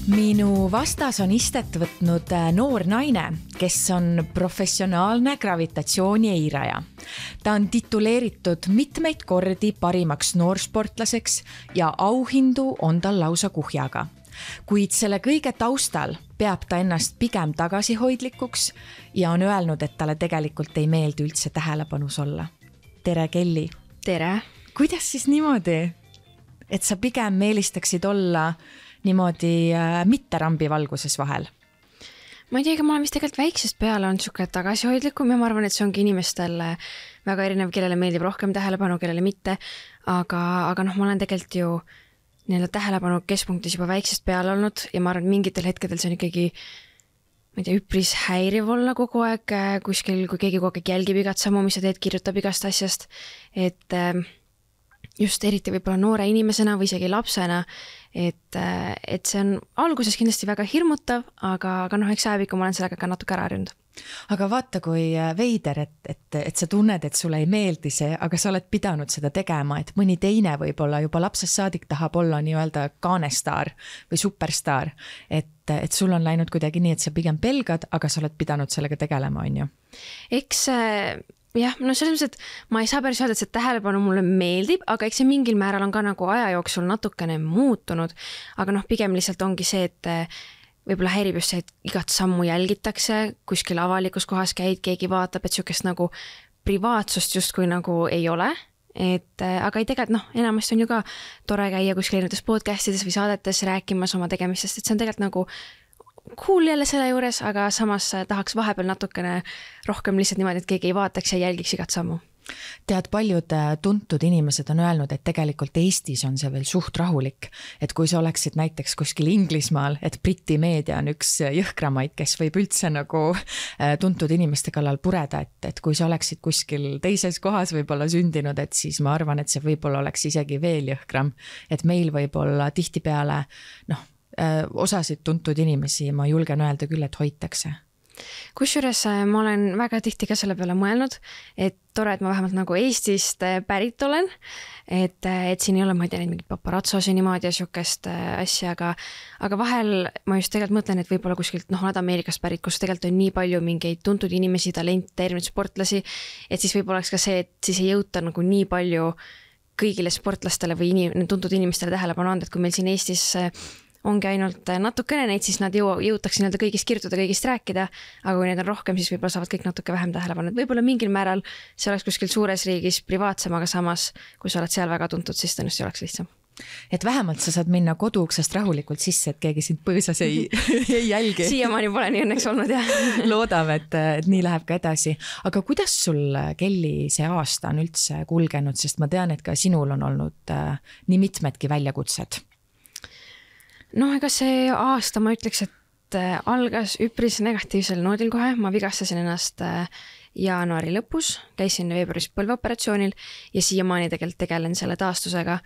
Minu vastas on istet võtnud noor naine, kes on professionaalne gravitatsiooni eiraja. Ta on tituleeritud mitmeid kordi parimaks noorsportlaseks ja auhindu on tal lausa kuhjaga. Kuid selle kõige taustal peab ta ennast pigem tagasihoidlikuks ja on öelnud, et talle tegelikult ei meeldi üldse tähelepanus olla. Tere, Kelly! Tere! Kuidas siis niimoodi, et sa pigem meelistaksid olla niimoodi mitte rambi valguses vahel? Ma ei tea, ma olen vist tegelikult väiksest peale on siuke tagasihoidlikum ja ma arvan, et see ongi inimestel väga erinev, kellele meeldib rohkem tähelepanu, kellele mitte. Aga ma olen tegelikult ju tähelepanu keskpunktis juba väiksest peale olnud ja ma arvan, et mingitel hetkedel see on ikkagi üpris häiriv olla kogu aeg kuskil, kui keegi kogu aeg jälgib igat sammu, mis sa teed, kirjutab igast asjast. Et just eriti võib-olla noore inimesena või isegi lapsena, et see on alguses kindlasti väga hirmutav, aga eks ajapikku ma olen sellega ka natuke ära harjunud. Aga vaata, kui veider, et sa tunned, et sulle ei meeldi see, aga sa oled pidanud seda tegema, et mõni teine võib-olla juba lapsest saadik tahab olla nii-öelda kaanestaar või superstaar, et sul on läinud kuidagi nii, et sa pigem pelgad, aga sa oled pidanud sellega tegelema, on ju? Eks jah, selles mõttes, et ma ei saa päris öelda, et see tähelepanu mulle meeldib, aga eks see mingil määral on ka nagu aja jooksul natukene muutunud, aga pigem lihtsalt ongi see, et võib-olla häirib just see, et igat sammu jälgitakse, kuskil avalikus kohas käid, keegi vaatab, et siukest nagu privaatsust justkui nagu ei ole, aga ei tegelikult, enamasti on ju ka tore käia kuskil erinevates podcastides või saadetes rääkimas oma tegemistest, et see on tegelikult nagu cool jälle selle juures, aga samas tahaks vahepeal natukene rohkem lihtsalt niimoodi, et keegi ei vaataks ja jälgiks igat sammu. Tead, paljud tuntud inimesed on öelnud, et tegelikult Eestis on see veel suht rahulik, et kui sa oleksid näiteks kuskil Inglismaal, et Briti meedia on üks jõhkramaid, kes võib üldse nagu tuntud inimeste kallal pureda, et kui sa oleksid kuskil teises kohas võib-olla sündinud, et siis ma arvan, et see võib-olla oleks isegi veel jõhkram, et meil võib-olla tihtipeale, osasid tuntud inimesi, ma julgen öelda küll, et hoitakse. Kusjuures ma olen väga tihti ka selle peale mõelnud, et tore, et ma vähemalt nagu Eestist pärit olen, et siin ei ole, ma ei tea, mingit paparazzosi niimoodi ja siukest asja, aga vahel ma just tegelikult mõtlen, et võib-olla kuskilt, oled Ameerikast pärit, kus tegelikult on nii palju mingeid tuntud inimesi, talente, erinevaid sportlasi, et siis võib-olla oleks ka see, et siis ei jõuta nagu nii palju kõigile sportlastele või tuntud inimestele tähelepanu anda, et kui meil siin Eestis ongi ainult natukene neid, siis nad jõutaks kõigist kirjutada, kõigist rääkida, aga kui neid on rohkem, siis võib-olla saavad kõik natuke vähem tähelepanu. Võib-olla mingil määral see oleks kuskil suures riigis privaatsem, aga samas, kui sa oled seal väga tuntud, siis tõenäoliselt oleks lihtsam. Et vähemalt sa saad minna koduuksest rahulikult sisse, et keegi sind põõsas ei jälgi. Siiamaani pole nii õnneks olnud, jah. Loodame, et nii läheb ka edasi. Aga kuidas sul, Kelly, see aasta on üldse kulgenud, sest ma tean, et ka sinul on olnud nii mitmedki väljakutsed. Ega see aasta ma ütleks, et algas üpris negatiivsel noodil kohe. Ma vigastasin ennast jaanuari lõpus, käisin veebruaris põlveoperatsioonil ja siiamaani tegelikult tegelen selle taastusega.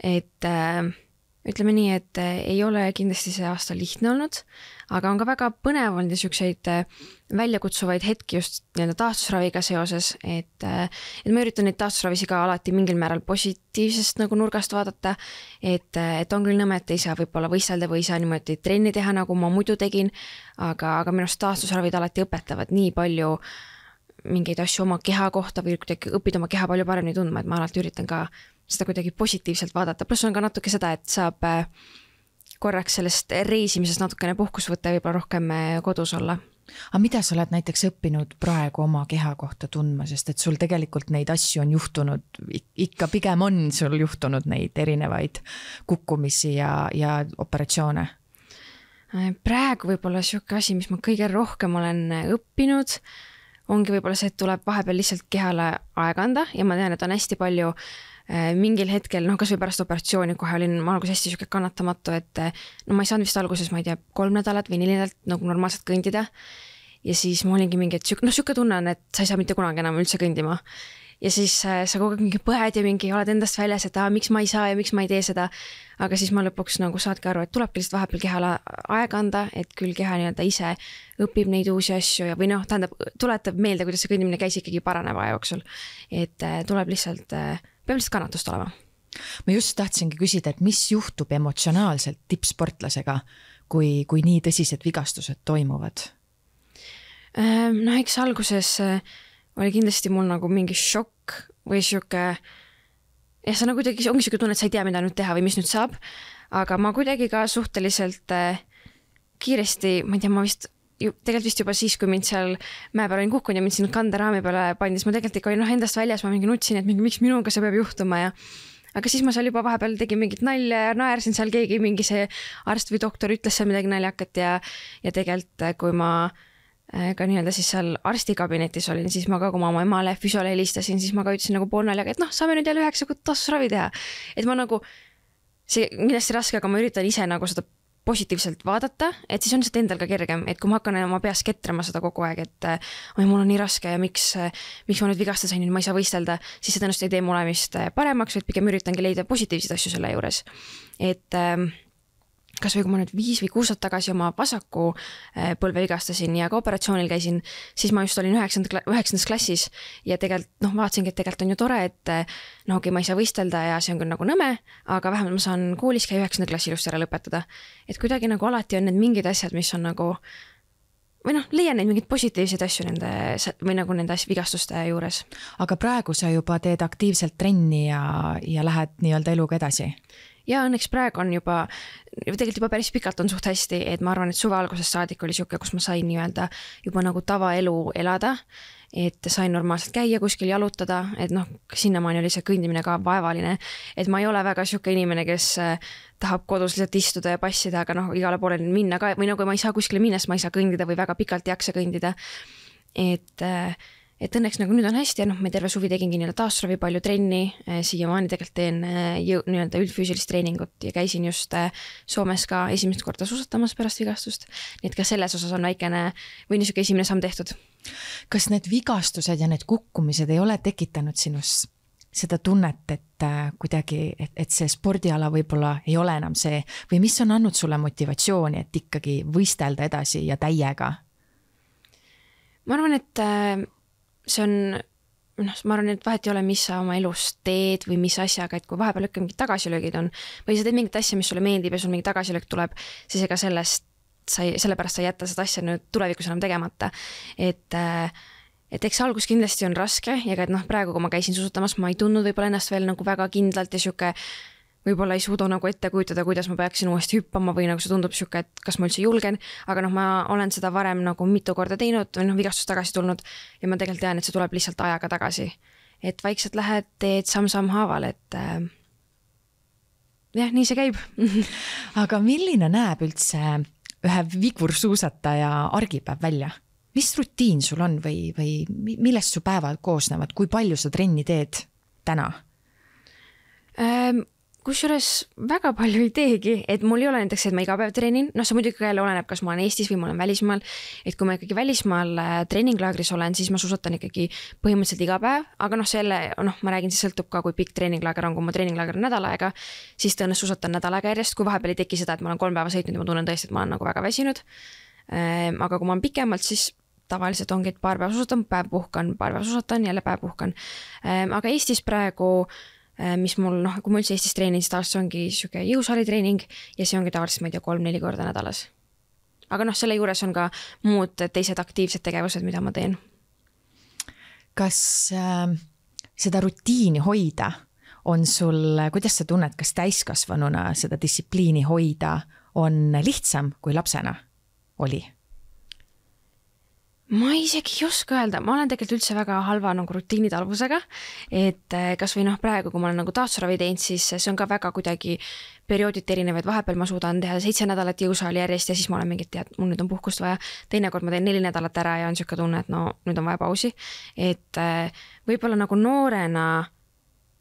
Et ütleme nii, et ei ole kindlasti see aasta lihtne olnud, aga on ka väga põnev olnud ja siukseid väljakutsuvaid hetki just taastusraviga seoses, et ma üritan neid taastusravisi ka alati mingil määral positiivsest nagu nurgast vaadata, et on küll nõme, et ei saa võib-olla võistelda või ei saa niimoodi trenni teha, nagu ma muidu tegin, aga minu arust taastusravid alati õpetavad nii palju mingeid asju oma keha kohta või õpid oma keha palju paremini tundma, et ma alati üritan ka seda kuidagi positiivselt vaadata. Plus on ka natuke seda, et saab korraks sellest reisimisest natukene puhkus võtta ja võib-olla rohkem kodus olla. Aga mida sa oled näiteks õppinud praegu oma keha kohta tundma, sest et sul tegelikult neid asju on juhtunud, ikka pigem on sul juhtunud neid erinevaid kukkumisi ja operatsioone? Praegu võib-olla siuke asi, mis ma kõige rohkem olen õppinud, ongi võib-olla see, et tuleb vahepeal lihtsalt kehale aega anda ja ma tean, et on hästi palju mingil hetkel, kas või pärast operatsiooni kohe olin ma alguses hästi siuke kannatamatu, et ma ei saanud vist alguses, ma ei tea, 3 nädalat või 4 nädalat nagu normaalselt kõndida ja siis ma olingi mingi, et siuke tunne on, et sa ei saa mitte kunagi enam üldse kõndima ja siis sa kogu aeg mingi põed ja mingi oled endast väljas, et miks ma ei saa ja miks ma ei tee seda, aga siis ma lõpuks nagu saadki aru, et tulebki lihtsalt vahepeal kehale aega anda, et küll keha nii-öelda ise õpib neid uusi asju ja või tuletab meelde, kuidas see kõndimine käis ikkagi paraneva aja jooksul, et tuleb lihtsalt peab lihtsalt kannatust olema. Ma just tahtsingi küsida, et mis juhtub emotsionaalselt tippsportlasega, kui nii tõsised vigastused toimuvad? Noh, eks alguses oli kindlasti mul nagu mingi šokk või siuke, ja sa nagu kuidagi ongi siuke tunne, et sa ei tea, mida nüüd teha või mis nüüd saab, aga ma kuidagi ka suhteliselt kiiresti, ma ei tea, ma tegelikult vist juba siis, kui mind seal mäe peal olin kukkunud ja mind sinna kanderaami peale pandis, ma tegelikult ikka olin endast väljas, ma mingi nutsin, et miks minuga see peab juhtuma ja aga siis ma seal juba vahepeal tegin mingit nalja ja naersin seal, keegi mingi see arst või doktor ütles seal midagi naljakat ja tegelikult kui ma ka nii-öelda siis seal arstikabinetis olin, siis ma ka, kui ma oma emale füsiole helistasin, siis ma ka ütlesin nagu poolnaljaga, et saame nüüd jälle 9 kuud tasusravi teha. Et ma nagu, see kindlasti raske, aga ma üritan ise nagu seda positiivselt vaadata, et siis on seda endal ka kergem, et kui ma hakkan oma peas ketrama seda kogu aeg, et mul on nii raske ja miks ma nüüd vigasta sain, ma ei saa võistelda, siis see tõenäoliselt ei tee mu olemist paremaks, vaid pigem üritangi leida positiivseid asju selle juures. Et kas või kui ma nüüd 5 või 6 aastat tagasi oma vasaku põlve vigastasin ja ka operatsioonil käisin, siis ma just olin 9. klassis ja tegelikult vaatasingi, et tegelikult on ju tore, et okei, ma ei saa võistelda ja see on küll nagu nõme, aga vähemalt ma saan koolis käia 9. klassi ilusti ära lõpetada. Et kuidagi nagu alati on need mingid asjad, mis on nagu või leian neid mingeid positiivseid asju nende vigastuste juures. Aga praegu sa juba teed aktiivselt trenni ja lähed nii-öelda eluga edasi? Ja õnneks praegu on tegelikult juba päris pikalt on suht hästi, et ma arvan, et suve algusest saadik oli siuke, kus ma sain nii-öelda juba nagu tavaelu elada, et sain normaalselt käia kuskil jalutada, et sinnamaani oli see kõndimine ka vaevaline, et ma ei ole väga siuke inimene, kes tahab kodus lihtsalt istuda ja passida, aga igale poole minna ka, või kui ma ei saa kuskile minna, siis ma ei saa kõndida või väga pikalt ei jaksa kõndida. Et õnneks nagu nüüd on hästi ja me terve suvi tegingi nii-öelda taasravi palju trenni, siiamaani tegelikult teen nii-öelda üldfüüsilist treeningut ja käisin just Soomes ka esimest korda suusatamas pärast vigastust, nii et ka selles osas on väikene või niisugune esimene samm tehtud. Kas need vigastused ja need kukkumised ei ole tekitanud sinus seda tunnet, et kuidagi, et see spordiala võib-olla ei ole enam see või mis on andnud sulle motivatsiooni, et ikkagi võistelda edasi ja täiega? Ma arvan, et see on, ma arvan, et vahet ei ole, mis sa oma elus teed või mis asjaga, et kui vahepeal ikka mingid tagasilöögid on või sa teed mingit asja, mis sulle meeldib ja sul mingi tagasilöök tuleb, siis ega sellepärast sa jätta seda asja nüüd tulevikus enam tegemata. Et eks algus kindlasti on raske ja ka praegu, kui ma käisin suusatamas, ma ei tundnud võib-olla ennast veel nagu väga kindlalt ja siuke võib-olla ei suuda nagu ette kujutada, kuidas ma peaksin uuesti hüppama või nagu see tundub siuke, et kas ma üldse julgen, aga ma olen seda varem nagu mitu korda teinud või vigastust tagasi tulnud ja ma tegelikult tean, et see tuleb lihtsalt ajaga tagasi. Et vaikselt lähed, teed samm-samm haaval, et jah, nii see käib. Aga milline näeb üldse ühe vigursuusataja argipäev välja? Mis rutiin sul on või millest su päevad koosnevad? Kui palju sa trenni teed täna? Kusjuures väga palju ei teegi, et mul ei ole näiteks, et ma iga päev treenin, see muidugi jälle oleneb, kas ma olen Eestis või ma olen välismaal, et kui ma ikkagi välismaal treeninglaagris olen, siis ma suusatan ikkagi põhimõtteliselt iga päev, aga ma räägin, siis sõltub ka, kui pikk treeninglaager on, kui ma treeninglaager on nädal aega, siis tõenäoliselt suusatan nädal aega järjest, kui vahepeal ei teki seda, et ma olen 3 päeva sõitnud ja ma tunnen tõesti, et ma olen nagu väga väsinud. Aga kui ma olen pikemalt, siis tavaliselt ongi, et paar päeva suusatan, päev puhkan, paar päeva suusatan, jälle päev puhkan. Aga Eestis praegu mis mul, kui ma üldse Eestis treenin, siis tavaliselt ongi siuke jõusaalitreening ja see ongi tavaliselt, ma ei tea, 3-4 korda nädalas. Aga selle juures on ka muud teised aktiivsed tegevused, mida ma teen. Kas seda rutiini hoida on sul, kuidas sa tunned, kas täiskasvanuna seda distsipliini hoida on lihtsam kui lapsena oli? Ma isegi ei oska öelda, ma olen tegelikult üldse väga halva nagu rutiinitalvusega, et kas või praegu, kui ma olen nagu taastusravi teinud, siis see on ka väga kuidagi periooditi erinevaid, vahepeal ma suudan teha 7 nädalat jõusaali järjest ja siis ma olen mingit tead, mul nüüd on puhkust vaja, teinekord ma teen 4 nädalat ära ja on siuke tunne, et nüüd on vaja pausi, et võib-olla nagu noorena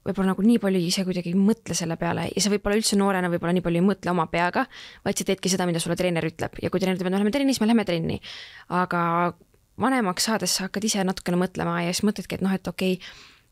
võib-olla nagu nii palju ise kuidagi ei mõtle selle peale ja sa võib-olla üldse noorena võib-olla nii palju ei mõtle oma peaga, vaid sa teedki seda, mida sulle treener ütleb ja kui treener ütleb, et me läheme trenni, siis me läheme trenni, aga vanemaks saades sa hakkad ise natukene mõtlema ja siis mõtledki, et okei,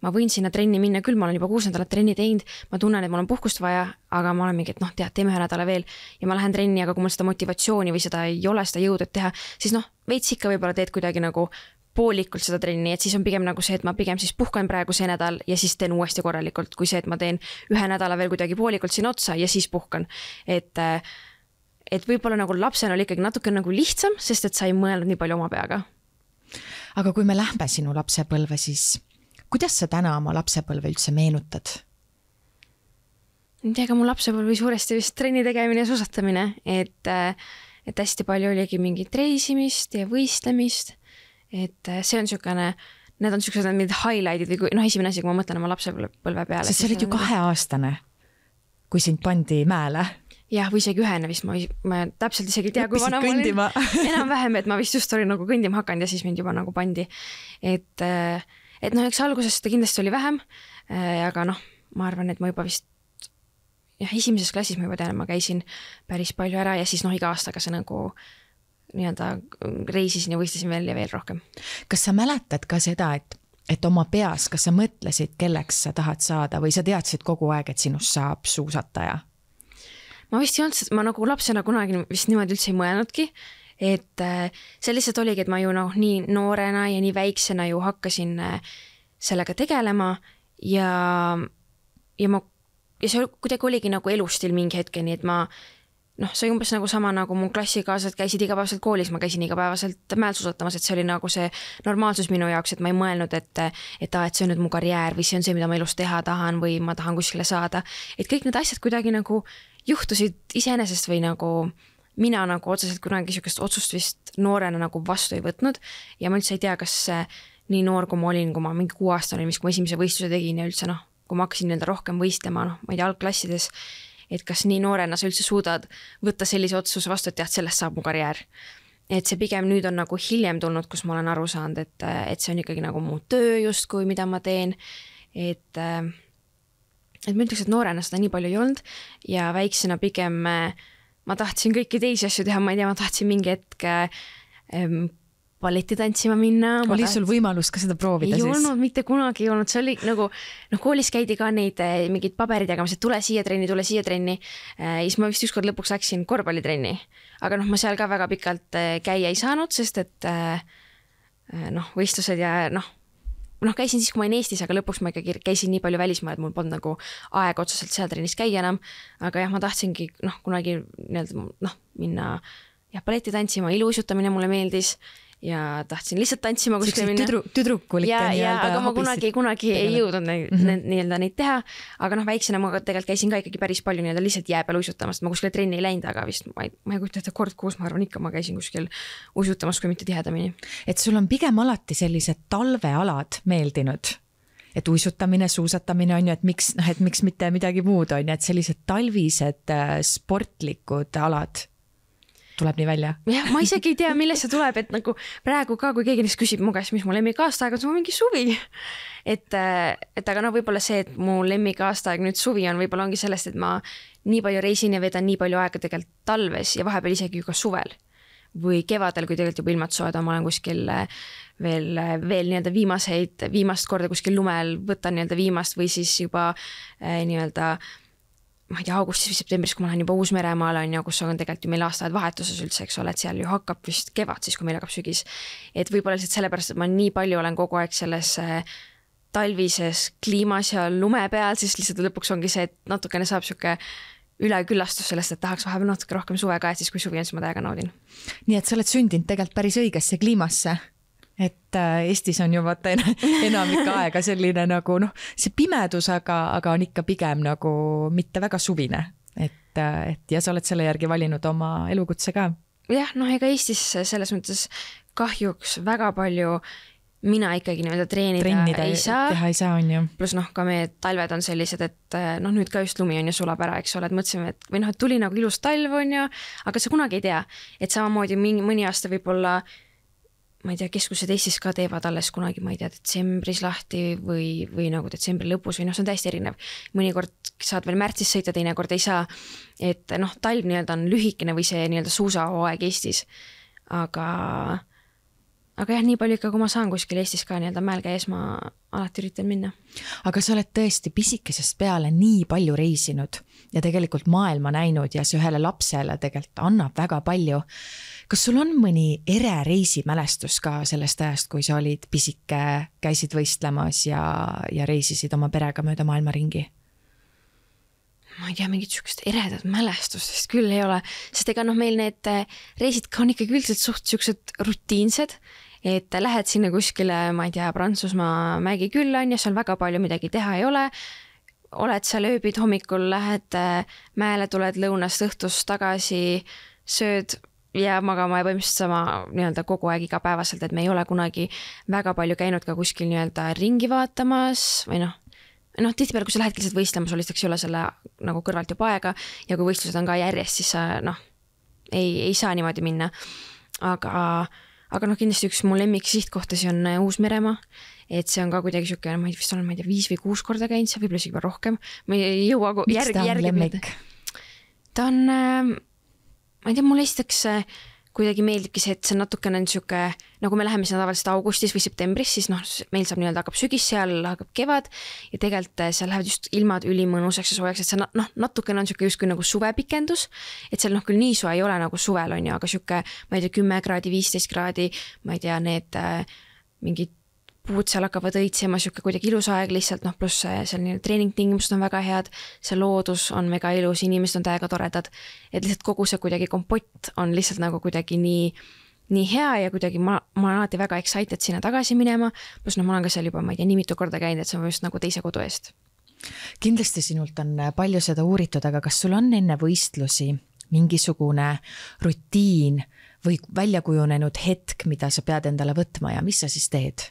ma võin sinna trenni minna, küll ma olen juba 6 nädalat trenni teinud, ma tunnen, et mul on puhkust vaja, aga ma olen mingi, et tead, teeme 1 nädala veel ja ma lähen trenni, aga kui mul seda motivatsiooni või seda ei ole, seda jõudu teha, siis veits ikka võib-olla teed kuidagi nagu poolikult seda trenni, et siis on pigem nagu see, et ma pigem siis puhkan praegu see nädal ja siis teen uuesti korralikult, kui see, et ma teen 1 nädala veel kuidagi poolikult siin otsa ja siis puhkan, et võib-olla nagu lapsena oli ikkagi natuke nagu lihtsam, sest et sa ei mõelnud nii palju oma peaga. Aga kui me lähme sinu lapsepõlve, siis kuidas sa täna oma lapsepõlve üldse meenutad? Ega mu lapsepõlve suuresti vist trenni tegemine ja suusatamine, et hästi palju oligi mingit reisimist ja võistlemist, et see on niisugune, need on niisugused mingid highlightid või esimene asi, kui ma mõtlen oma lapsepõlve peale. Sest sa olid ju 2-aastane, kui sind pandi mäele. Jah, või isegi 1 vist, ma täpselt isegi ei tea, kui vana ma olin. Enam-vähem, et ma vist just olin nagu kõndima hakanud ja siis mind juba nagu pandi. Et eks alguses seda kindlasti oli vähem, aga ma arvan, et ma juba vist esimeses klassis ma juba tean, ma käisin päris palju ära ja siis iga aastaga see nagu nii-öelda reisisin ja võistlesin veel ja veel rohkem. Kas sa mäletad ka seda, et oma peas, kas sa mõtlesid, kelleks sa tahad saada või sa teadsid kogu aeg, et sinust saab suusataja? Ma vist ei olnud, ma nagu lapsena kunagi vist niimoodi üldse ei mõelnudki, et see lihtsalt oligi, et ma ju nii noorena ja nii väiksena ju hakkasin sellega tegelema ja see kuidagi oligi nagu elustil mingi hetkeni, et ma see umbes nagu sama nagu mu klassikaaslased käisid igapäevaselt koolis, ma käisin igapäevaselt mäel suusatamas, et see oli nagu see normaalsus minu jaoks, et ma ei mõelnud, et see on nüüd mu karjäär või see on see, mida ma elus teha tahan või ma tahan kuskile saada. Et kõik need asjad kuidagi nagu juhtusid iseenesest või nagu mina nagu otseselt kunagi niisugust otsust vist noorena nagu vastu ei võtnud ja ma üldse ei tea, kas nii noor, kui ma olin, kui ma mingi 6-aastane olin, kui ma esimese võistluse tegin ja üldse kui ma hakkasin nii-öelda rohkem võistlema, ma ei tea, algklassides, et kas nii noorena sa üldse suudad võtta sellise otsuse vastu, et sellest saab mu karjäär. Et see pigem nüüd on nagu hiljem tulnud, kus ma olen aru saanud, et see on ikkagi nagu mu töö justkui, mida ma teen. Et ma ütleks, et noorena seda nii palju ei olnud ja väiksena pigem ma tahtsin kõiki teisi asju teha, ma ei tea, ma tahtsin mingi hetk balletti tantsima minna. Oli sul võimalus ka seda proovida siis? Ei olnud, mitte kunagi ei olnud. See oli nagu, koolis käidi ka neid mingid paberid jagamas, et tule siia trenni. Ja siis ma vist ükskord lõpuks läksin korvpallitrenni. Aga ma seal ka väga pikalt käia ei saanud, sest et võistlused ja käisin siis, kui ma olin Eestis, aga lõpuks ma ikkagi käisin nii palju välismaal, et mul polnud nagu aeg otseselt seal trennis käia enam. Aga ma tahtsingi kunagi minna balletti tantsima, iluuisutamine mulle meeldis. Ja tahtsin lihtsalt tantsima kuskile minna. Tüdrukulik ja aga ma kunagi ei jõudnud neid teha. Aga väiksena ma tegelikult käisin ka ikkagi päris palju lihtsalt jää peal uisutamast. Ma kuskile trenni ei läinud, aga vist ma ei kujuta, et kord kuus, ma arvan ikka ma käisin kuskil uisutamas, kui mitte tihedamini. Et sul on pigem alati sellised talvealad meeldinud? Et uisutamine, suusatamine on ju, et miks mitte midagi muud on ju, et sellised talvised sportlikud alad tuleb nii välja. Jah, ma isegi ei tea, millest see tuleb, et nagu praegu ka, kui keegi neist küsib mu käest, mis mu lemmikaastaeg on, see on mingi suvi. Et aga võib-olla see, et mu lemmikaastaeg nüüd suvi on, võib-olla ongi sellest, et ma nii palju reisin ja vedan nii palju aega tegelikult talves ja vahepeal isegi ka suvel. Või kevadel, kui tegelikult juba ilmad soed, ma olen kuskil veel nii-öelda viimast korda kuskil lumel võtan nii-öelda viimast või siis juba nii-öelda ma ei tea, augustis või septembris, kui ma lähen juba Uus-Meremaal on ja kus on tegelikult ju meil aastaajad vahetuses üldse, eks ole, et seal ju hakkab vist kevad siis, kui meil hakkab sügis. Et võib-olla lihtsalt sellepärast, et ma nii palju olen kogu aeg selles talvises kliimas ja lume peal, siis lihtsalt lõpuks ongi see, et natukene saab siuke üleküllastus sellest, et tahaks vahepeal natuke rohkem suve ka, et siis kui suvi on, siis ma täiega naudin. Nii et sa oled sündinud tegelikult päris õigesse kliimasse. Et Eestis on ju vaata enamik aega selline nagu see pimedus, aga on ikka pigem nagu mitte väga suvine. Et ja sa oled selle järgi valinud oma elukutse ka. Jah, ega Eestis selles mõttes kahjuks väga palju mina ikkagi treenida ei saa. Teha ei saa, on ju. Plus ka meie talved on sellised, et nüüd ka just lumi on ju sulab ära, eks ole, et mõtlesime, et või et tuli nagu ilus talv on ju, aga sa kunagi ei tea, et samamoodi mõni aasta võib-olla ma ei tea, keskused Eestis ka teevad alles kunagi, ma ei tea, detsembris lahti või nagu detsembri lõpus või see on täiesti erinev. Mõnikord saad veel märtsis sõita, teinekord ei saa. Et talv nii-öelda on lühikene või see nii-öelda suusahooaeg Eestis. Aga jah, nii palju ikka, kui ma saan kuskil Eestis ka nii-öelda mäel käies, ma alati üritan minna. Aga sa oled tõesti pisikesest peale nii palju reisinud ja tegelikult maailma näinud ja see ühele lapsele tegelikult annab väga palju. Kas sul on mõni reisimälestus ka sellest ajast, kui sa olid pisike, käisid võistlemas ja reisisid oma perega mööda maailma ringi? ma ei tea, mingit sükest eredat mälestust küll ei ole, sest ega noh, meil need reisid ka on ikkagi üldiselt suht süksed rutiinsed, et lähed sinna kuskile, ma ei tea, Prantsusmaa mägi külla on ja seal väga palju midagi teha ei ole, oled seal ööbid hommikul, lähed mäele, tuled lõunast õhtust tagasi, sööd ja magama ja põhimõtteliselt sama nii-öelda kogu aeg igapäevaselt, et me ei ole kunagi väga palju käinud ka kuskil nii-öelda ringi vaatamas või noh, tihtipeale, kui sa lähedki lihtsalt võistlema, sul lihtsalt ei ole selle nagu kõrvalt juba aega ja kui võistlused on ka järjest, siis sa ei saa niimoodi minna. Aga kindlasti üks mu lemmik sihtkohtasi on Uus-Meremaa, et see on ka kuidagi siuke, ma vist olen, 5 või 6 korda käinud, see võib-olla isegi rohkem. Ma ei jõua järgi. Ta on, ma ei tea, mulle esiteks kuidagi meeldibki see, et see natukene on siuke, nagu me läheme sinna tavaliselt augustis või septembris, siis meil saab nii-öelda hakkab sügis, seal hakkab kevad ja tegelikult seal lähevad just ilmad ülimõnusaks ja soojaks, et see natukene on siuke justkui nagu suvepikendus, et seal küll nii soe ei ole nagu suvel on ju, aga siuke, ma ei tea, 10 kraadi, 15 kraadi, ma ei tea, need mingid puud seal hakkavad õitsema, siuke kuidagi ilus aeg lihtsalt, pluss seal treeningtingimused on väga head, see loodus on väga ilus, inimesed on täiega toredad, et lihtsalt kogu see kuidagi kompott on lihtsalt nagu kuidagi nii hea ja kuidagi ma olen alati väga excited sinna tagasi minema, pluss ma olen ka seal juba, ma ei tea, nii mitu korda käinud, et see on just nagu teise kodu eest. Kindlasti sinult on palju seda uuritud, aga kas sul on enne võistlusi mingisugune rutiin või välja kujunenud hetk, mida sa pead endale võtma ja mis sa siis teed?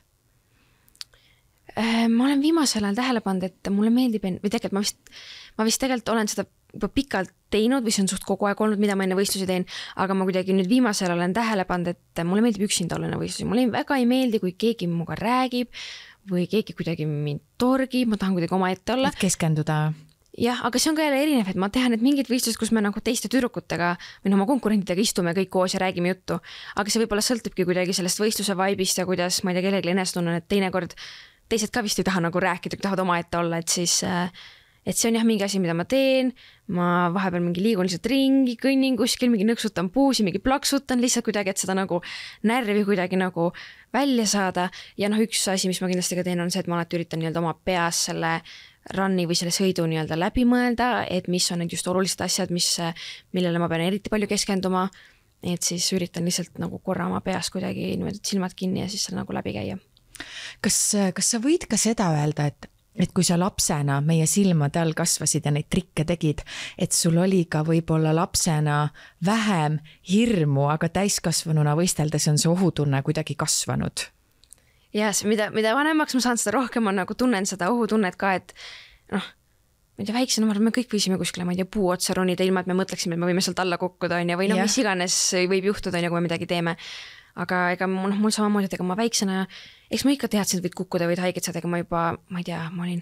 Ma olen viimasel ajal tähele pannud, et mulle meeldib, või tegelikult ma vist tegelikult olen seda juba pikalt teinud või see on suht kogu aeg olnud, mida ma enne võistlusi teen, aga ma kuidagi nüüd viimasel olen tähele pannud, et mulle meeldib üksinda olla enne võistlusi. Mulle väga ei meeldi, kui keegi minuga räägib või keegi kuidagi mind torgib, ma tahan kuidagi oma ette olla. Et keskenduda. Jah, aga see on ka jälle erinev, et ma tean, et mingid võistlused, kus me nagu teiste tüdrukutega või oma konkurentidega istume kõik koos ja räägime juttu, aga see võib-olla sõltubki kuidagi sellest võistluse vaibist ja kuidas, ma ei tea, kellegi enesetunne, et teinekord teised ka vist ei taha nagu rääkida, kui tahavad oma ette olla, et siis et see on jah mingi asi, mida ma teen, ma vahepeal mingi liigun lihtsalt ringi, kõnnin kuskil, mingi nõksutan puusi, mingi plaksutan lihtsalt kuidagi, et seda nagu närvi kuidagi nagu välja saada ja üks asi, mis ma kindlasti ka teen, on see, et ma alati üritan nii-öelda oma peas selle runni või selle sõidu nii-öelda läbi mõelda, et mis on need just olulised asjad, millele ma pean eriti palju keskenduma, et siis üritan lihtsalt nagu korra oma peas kuidagi niimoodi silmad kinni ja siis seal nagu läbi käia. Kas sa võid ka seda öelda, et kui sa lapsena meie silmade all kasvasid ja neid trikke tegid, et sul oli ka võib-olla lapsena vähem hirmu, aga täiskasvanuna võisteldes on see ohutunne kuidagi kasvanud? Ja mida vanemaks ma saan, seda rohkem ma nagu tunnen seda ohutunnet ka, et ma ei tea, väiksena me kõik võisime kuskile, ma ei tea, puu otsa ronida ilma, et me mõtleksime, et me võime sealt alla kukkuda või mis iganes võib juhtuda, kui me midagi teeme. Aga ega mul samamoodi, et ega ma väiksena, eks ma ikka teadsin, et võid kukkuda, võid haiget saada, ega ma juba, ma ei tea, ma olin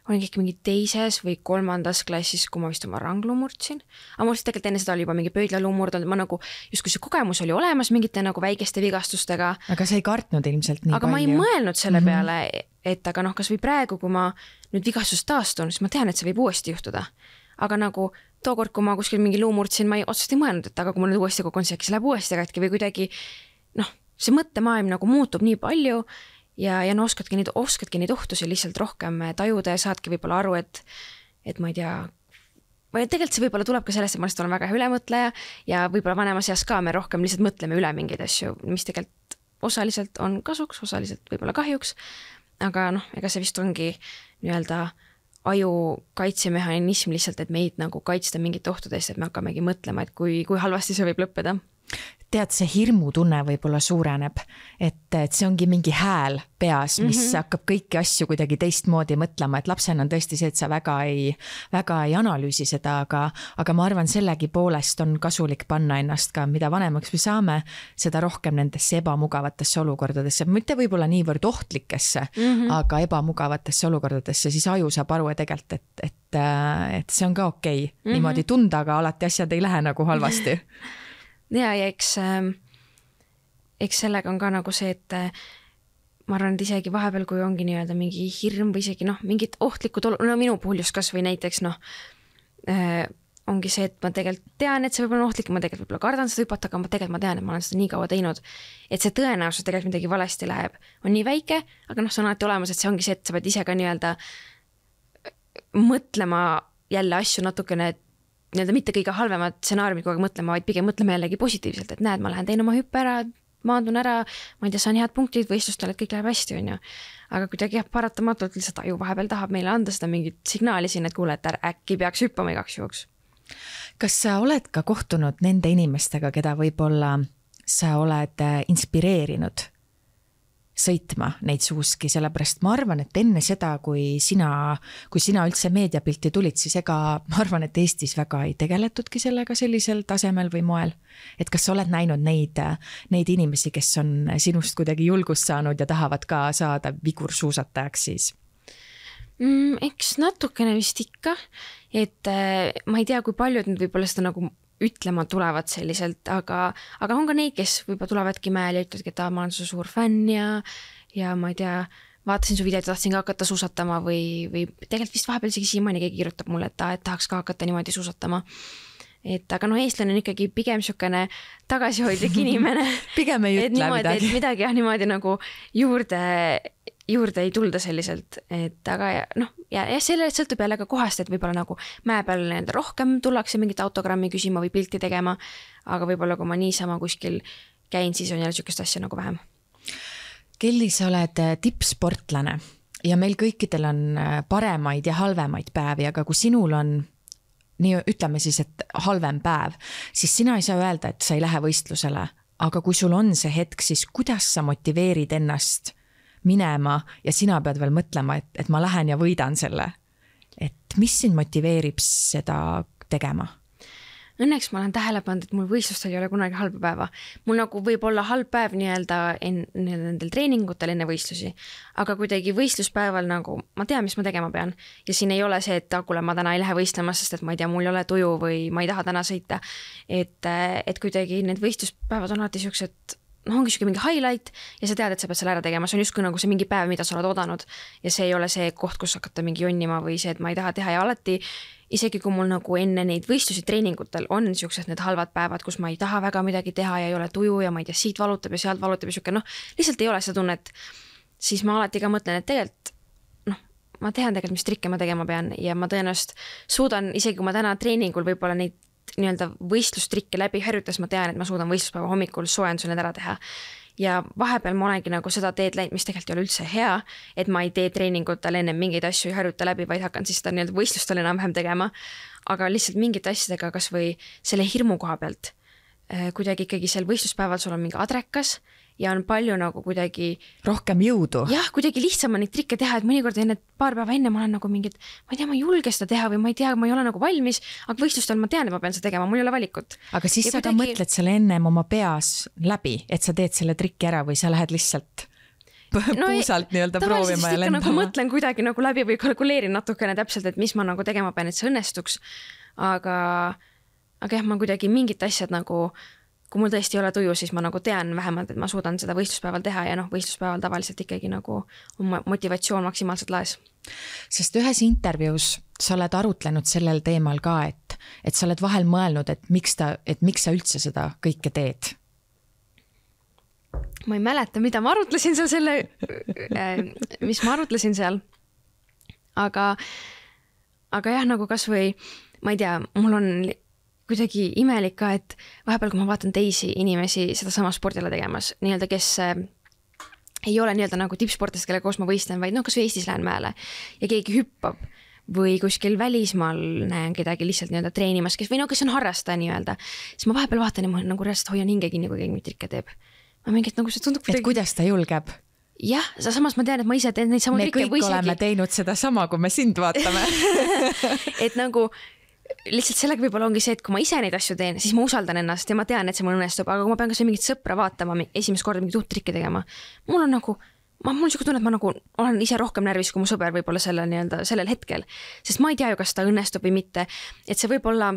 kõik mingi 2. või 3. klassis, kui ma vist oma ranglu murdsin. Aga mul tegelikult enne seda oli juba mingi pöidlaluu murdunud, ma nagu, just kui see kogemus oli olemas mingite nagu väikeste vigastustega. Aga sa ei kartnud ilmselt nii palju. Aga ma ei mõelnud selle peale, et aga kas või praegu, kui ma nüüd vigastust taastun, siis ma tean, et see võib uuesti juhtuda. Aga nagu tookord, kui ma kuskil mingi luu murdsin, ma otseselt ei mõelnud, et aga kui mul nüüd uuesti kukun, see läheb uuesti katki või kuidagi see mõttemaailm nagu muutub nii palju ja oskadki neid ohtusi lihtsalt rohkem tajuda ja saadki võib-olla aru, et ma ei tea, või tegelikult see võib-olla tuleb ka sellest, et ma olen väga ülemõtleja ja võib-olla vanemas eas ka me rohkem lihtsalt mõtleme üle mingeid asju, mis tegelikult osaliselt on kasuks, osaliselt võib-olla kahjuks, aga ega see vist ongi nii-öelda aju kaitsemehhanism lihtsalt, et meid nagu kaitsta mingit ohtudest, et me hakkamegi mõtlema, et kui halvasti see võib lõppeda. Tead, see hirmutunne võib-olla suureneb, et see ongi mingi hääl peas, mis hakkab kõiki asju kuidagi teistmoodi mõtlema, et lapsena on tõesti see, et sa väga ei analüüsi seda, aga ma arvan, sellegi poolest on kasulik panna ennast ka, mida vanemaks me saame, seda rohkem nendesse ebamugavatesse olukordadesse, mitte võib-olla niivõrd ohtlikesse, aga ebamugavatesse olukordadesse, siis aju saab aru tegelikult, et see on ka okei. Niimoodi tunda, aga alati asjad ei lähe nagu halvasti. Ja eks sellega on ka nagu see, et ma arvan, et isegi vahepeal, kui ongi nii-öelda mingi hirm või isegi mingid ohtlikud minu puhul just kas või näiteks ongi see, et ma tegelikult tean, et see võib-olla on ohtlik, ma tegelikult võib-olla kardan seda hüpata, aga ma tean, et ma olen seda nii kaua teinud, et see tõenäosus tegelikult midagi valesti läheb, on nii väike, aga see on alati olemas, et see ongi see, et sa pead ise ka nii-öelda mõtlema jälle asju natukene nii-öelda mitte kõige halvemad stsenaariumid kogu aeg mõtlema, vaid pigem mõtlema jällegi positiivselt, et näed, ma lähen teen oma hüppe ära, maandun ära, ma ei tea, saan head punktid võistlustel, et kõik läheb hästi, on ju. Aga kuidagi paratamatult lihtsalt aju vahepeal tahab meile anda seda mingit signaali siin, et kuule, et äkki peaks hüppama igaks juhuks. Kas sa oled ka kohtunud nende inimestega, keda võib-olla sa oled inspireerinud sõitma neid suuski, sellepärast ma arvan, et enne seda, kui sina üldse meediapilti tulid, siis ega ma arvan, et Eestis väga ei tegeletudki sellega sellisel tasemel või moel. Et kas sa oled näinud neid inimesi, kes on sinust kuidagi julgust saanud ja tahavad ka saada vigursuusatajaks siis? Eks natukene vist ikka, et ma ei tea, kui paljud nüüd võib-olla seda nagu ütlema tulevad selliselt, aga on ka neid, kes võib-olla tulevadki mäel ja ütlevadki, et ma olen su suur fänn ja ma ei tea, vaatasin su videot ja tahtsin ka hakata suusatama või tegelikult vist vahepeal isegi siiamaani keegi kirjutab mulle, et tahaks ka hakata niimoodi suusatama. Et aga eestlane on ikkagi pigem niisugune tagasihoidlik inimene. Pigem ei ütle midagi. Et midagi niimoodi nagu juurde ei tulda selliselt, et aga ja selle sõltub jälle ka kohast, et võib-olla nagu mäe peal rohkem tullakse mingit autogrammi küsima või pilti tegema, aga võib-olla kui ma niisama kuskil käin, siis on jälle niisugust asja nagu vähem. Kelly, sa oled tippsportlane ja meil kõikidel on paremaid ja halvemaid päevi, aga kui sinul on nii ütleme siis, et halvem päev, siis sina ei saa öelda, et sa ei lähe võistlusele, aga kui sul on see hetk, siis kuidas sa motiveerid ennast minema ja sina pead veel mõtlema, et ma lähen ja võidan selle. Et mis sind motiveerib seda tegema? Õnneks ma olen tähele pannud, et mul võistlustel ei ole kunagi halba päeva. Mul nagu võib olla halb päev nendel treeningutel enne võistlusi, aga kuidagi võistluspäeval nagu ma tean, mis ma tegema pean. Ja siin ei ole see, et kuule, ma täna ei lähe võistlema, sest et ma ei tea, mul ei ole tuju või ma ei taha täna sõita. Et kuidagi need võistluspäevad on alati sellised, ongi siuke mingi highlight ja sa tead, et sa pead selle ära tegema. See on justkui nagu see mingi päev, mida sa oled oodanud ja see ei ole see koht, kus hakata mingi jonnima või see, et ma ei taha teha ja alati isegi kui mul nagu enne neid võistlusi treeningutel on niisugused need halvad päevad, kus ma ei taha väga midagi teha ja ei ole tuju ja ma ei tea, siit valutab ja sealt valutab ja siuke, lihtsalt ei ole seda tunnet, siis ma alati ka mõtlen, et tegelikult ma tean tegelikult, mis trikke ma tegema pean ja ma tõenäoliselt suudan, isegi kui ma täna treeningul võib-olla neid nii-öelda võistlustrikke läbi harjutas, ma tean, et ma suudan võistluspäeva hommikul soojenduse need ära teha. Ja vahepeal ma olengi nagu seda teed läinud, mis tegelikult ei ole üldse hea, et ma ei tee treeningutel enne mingeid asju ei harjuta läbi, vaid hakkan siis seda nii-öelda võistlustel enam-vähem tegema. Aga lihtsalt mingite asjadega kas või selle hirmu koha pealt, kuidagi ikkagi sel võistluspäeval sul on mingi adrekas ja on palju nagu kuidagi rohkem jõudu. Jah, kuidagi lihtsam on neid trikke teha, et mõnikord enne paar päeva enne ma olen nagu mingid, ma ei tea, ma ei julge seda teha või ma ei tea, ma ei ole nagu valmis, aga võistlustel ma tean, et ma pean seda tegema, mul ei ole valikut. Aga siis sa ka mõtled selle ennem oma peas läbi, et sa teed selle trikki ära või sa lähed lihtsalt puusalt nii-öelda proovima ja lendama? Nagu mõtlen kuidagi nagu läbi või kalkuleerin natukene täpselt, et mis ma nagu tegema pean, et see õnnestuks. Aga jah, ma kuidagi mingid asjad nagu kui mul tõesti ei ole tuju, siis ma nagu tean vähemalt, et ma suudan seda võistluspäeval teha ja võistluspäeval tavaliselt ikkagi nagu motivatsioon maksimaalselt laes. Sest ühes intervjuus sa oled arutlenud sellel teemal ka, et sa oled vahel mõelnud, et miks sa üldse seda kõike teed? Ma ei mäleta, mida ma arutlesin seal mis ma arutlesin seal. Aga jah, nagu kas või, ma ei tea, mul on kuidagi imelik ka, et vahepeal, kui ma vaatan teisi inimesi seda sama spordile tegemas, nii-öelda, kes ei ole nii-öelda nagu tippsportlased, kellega koos ma võistlen, vaid kas või Eestis lähen mäele ja keegi hüppab või kuskil välismaal näen kedagi lihtsalt nii-öelda treenimas, kes on harrastaja nii-öelda, siis ma vahepeal vaatan ja ma nagu reaalselt hoian hingegi, kui keegi mind trikke teeb. Ma mingit nagu see tundub kuidagi... Et kuidas ta julgeb? Jah, samas ma tean, et ma ise teen neid samu trikke. Me kõik oleme teinud seda sama, kui me sind vaatame. Et nagu lihtsalt sellega võib-olla ongi see, et kui ma ise neid asju teen, siis ma usaldan ennast ja ma tean, et see mul õnnestub, aga kui ma pean kas või mingit sõpra vaatama, esimest korda mingit uut trikke tegema, mul on nagu, mul siuke tunne, et ma nagu olen ise rohkem närvis, kui mu sõber võib-olla sellel hetkel, sest ma ei tea ju, kas ta õnnestub või mitte, et see võib-olla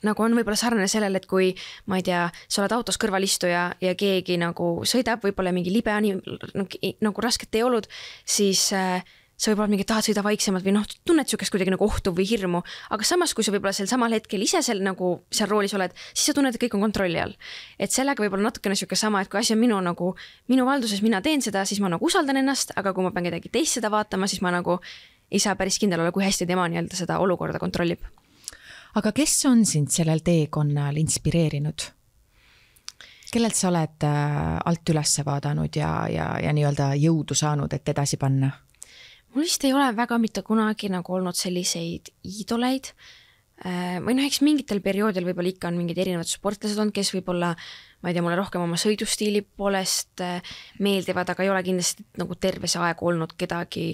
nagu on võib-olla sarnane sellele, et kui ma ei tea, sa oled autos kõrvalistuja ja keegi nagu sõidab, võib-olla mingi libe nagu rasket tee olud, siis sa võib-olla mingi tahad sõida vaiksemalt või tunned siukest kuidagi nagu ohtu või hirmu, aga samas, kui sa võib-olla sel samal hetkel ise seal roolis oled, siis sa tunned, et kõik on kontrolli all. Et sellega võib-olla natukene siuke sama, et kui asi on minu valduses, mina teen seda, siis ma nagu usaldan ennast, aga kui ma pean kedagi teist seda vaatama, siis ma nagu ei saa päris kindel olla, kui hästi tema nii-öelda seda olukorda kontrollib. Aga kes on sind sellel teekonnal inspireerinud? Kellelt sa oled alt üles vaadanud ja nii-öelda jõudu saanud, et edasi panna? Mul vist ei ole väga mitte kunagi nagu olnud selliseid iidoleid. Või eks mingitel perioodil võib-olla ikka on mingid erinevad sportlased olnud, kes võib-olla, ma ei tea, mulle rohkem oma sõidustiili poolest meeldivad, aga ei ole kindlasti nagu terve see aeg olnud kedagi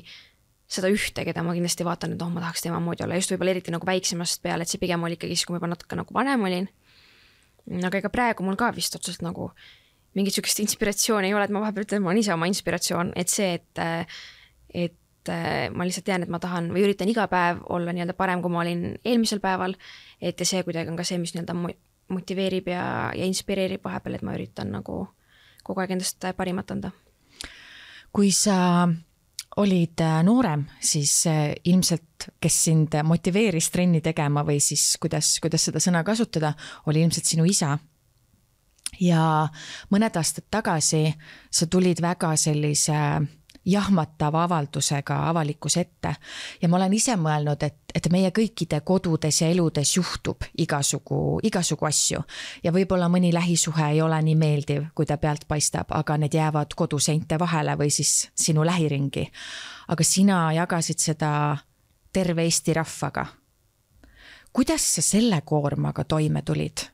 seda ühte, keda ma kindlasti vaatan, et ma tahaks tema moodi olla. Just võib-olla eriti nagu väiksemast peale, et see pigem oli ikkagi, kui ma juba natuke nagu vanem olin. Aga ega praegu mul ka vist otseselt nagu mingit sükest inspiratsiooni ei ole, et ma vahepeal ütlen, ma olen ise oma inspiratsioon, et see, et ma lihtsalt tean, et ma tahan või üritan iga päev olla nii-öelda parem, kui ma olin eelmisel päeval, et ja see kuidagi on ka see, mis nii-öelda motiveerib ja inspireerib vahepeal, et ma üritan nagu kogu aeg endast parimat anda. Kui sa olid noorem, siis ilmselt, kes sind motiveeris trenni tegema või siis kuidas seda sõna kasutada, oli ilmselt sinu isa. Ja mõned aastad tagasi sa tulid väga sellise jahmatava avaldusega avalikus ette ja ma olen ise mõelnud, et meie kõikide kodudes ja eludes juhtub igasugu asju ja võib-olla mõni lähisuhe ei ole nii meeldiv, kui ta pealt paistab, aga need jäävad koduseinte vahele või siis sinu lähiringi. Aga sina jagasid seda terve Eesti rahvaga. Kuidas sa selle koormaga toime tulid?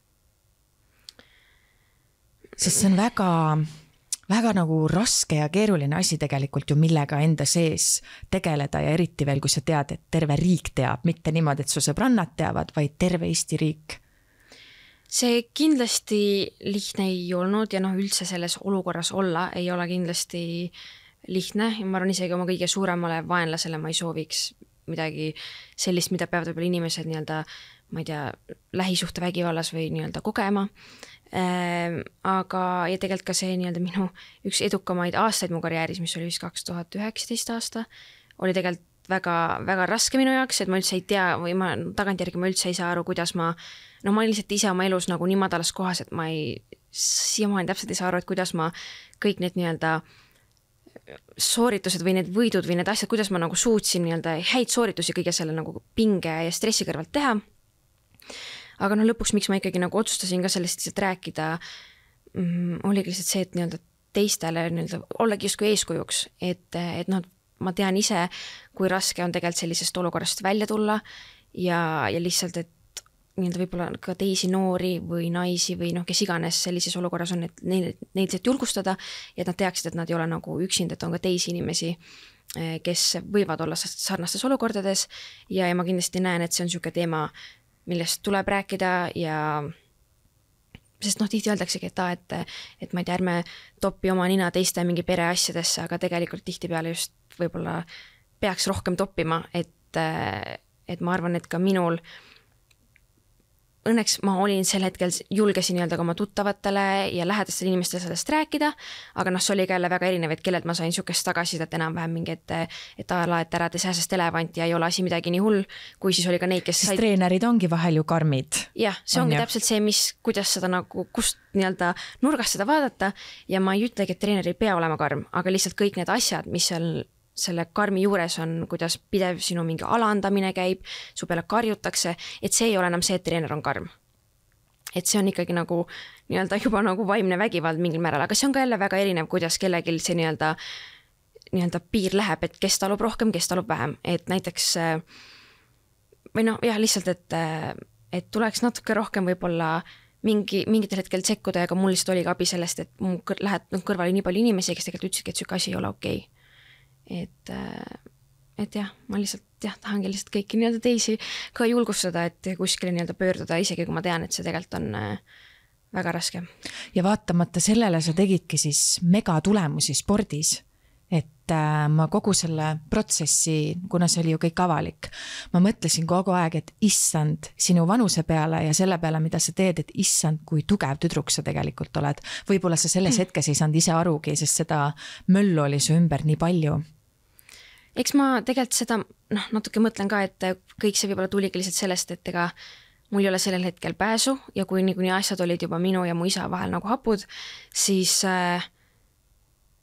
Sest see on väga nagu raske ja keeruline asi tegelikult ju, millega enda sees tegeleda ja eriti veel, kui sa tead, et terve riik teab, mitte niimoodi, et su sõbrannad teavad, vaid terve Eesti riik. See kindlasti lihtne ei olnud ja üldse selles olukorras olla ei ole kindlasti lihtne ja ma arvan isegi oma kõige suuremale vaenlasele ma ei sooviks midagi sellist, mida peavad võib-olla inimesed nii-öelda, ma ei tea, lähisuhte vägivallas või nii-öelda kogema. Aga ja tegelikult ka see nii-öelda minu üks edukamaid aastaid mu karjääris, mis oli vist 2019 aasta, oli tegelikult väga, väga raske minu jaoks, et ma üldse ei tea või ma tagantjärgi ma üldse ei saa aru, kuidas ma lihtsalt ise oma elus nagu nii madalas kohas, et ma siiamaani täpselt ei saa aru, et kuidas ma kõik need nii-öelda sooritused või need võidud või need asjad, kuidas ma nagu suutsin nii-öelda häid sooritusi kõige selle nagu pinge ja stressi kõrvalt teha. Aga lõpuks, miks ma ikkagi nagu otsustasin ka sellest lihtsalt rääkida, oligi lihtsalt see, et nii-öelda teistele nii-öelda ollagi justkui eeskujuks, et ma tean ise, kui raske on tegelikult sellisest olukorrast välja tulla ja lihtsalt, et nii-öelda võib-olla ka teisi noori või naisi või kes iganes sellises olukorras on, et neil lihtsalt julgustada ja et nad teaksid, et nad ei ole nagu üksinda, et on ka teisi inimesi, kes võivad olla sarnastes olukordades ja ma kindlasti näen, et see on niisugune teema, millest tuleb rääkida ja sest tihti öeldaksegi, et ma ei tea, ärme topi oma nina teiste mingi pere asjadesse, aga tegelikult tihtipeale just võib-olla peaks rohkem toppima, et ma arvan, et ka minul õnneks ma olin sel hetkel, julgesin nii-öelda ka oma tuttavatele ja lähedastele inimestele sellest rääkida, aga see oli ka jälle väga erinev, et kellelt ma sain niisugust tagasisidet enam-vähem mingi, et ära tee sääsest elevanti ja ei ole asi midagi nii hull, kui siis oli ka neid, kes said... treenerid ongi vahel ju karmid. Jah, see ongi täpselt see, kuidas seda nagu, kust nii-öelda nurgast seda vaadata ja ma ei ütlegi, et treener ei pea olema karm, aga lihtsalt kõik need asjad, mis seal selle karmi juures on, kuidas pidev sinu mingi alandamine käib, su peale karjutakse, et see ei ole enam see, et treener on karm. Et see on ikkagi nagu nii-öelda juba nagu vaimne vägivald mingil määral, aga see on ka jälle väga erinev, kuidas kellegil see nii-öelda piir läheb, et kes talub rohkem, kes talub vähem. Et näiteks või lihtsalt, et tuleks natuke rohkem võib-olla mingitel hetkel sekkuda ja ka mul lihtsalt oli ka abi sellest, et mu kõrval oli nii palju inimesi, kes tegelikult ütlesidki, et süke asi ei ole okei. Et jah, ma lihtsalt tahangi lihtsalt kõiki nii-öelda teisi ka julgustada, et kuskile nii-öelda pöörduda, isegi kui ma tean, et see tegelikult on väga raske. Ja vaatamata sellele sa tegidki siis megatulemusi spordis, et ma kogu selle protsessi, kuna see oli ju kõik avalik, ma mõtlesin kogu aeg, et issand sinu vanuse peale ja selle peale, mida sa teed, et issand, kui tugev tüdruk sa tegelikult oled. Võib-olla sa selles hetkes ei saanud ise arugi, sest seda möllu oli su ümber nii palju. Eks ma tegelikult seda natuke mõtlen ka, et kõik see võib-olla tuligi lihtsalt sellest, et ega mul ei ole sellel hetkel pääsu ja kui niikuinii asjad olid juba minu ja mu isa vahel nagu hapud, siis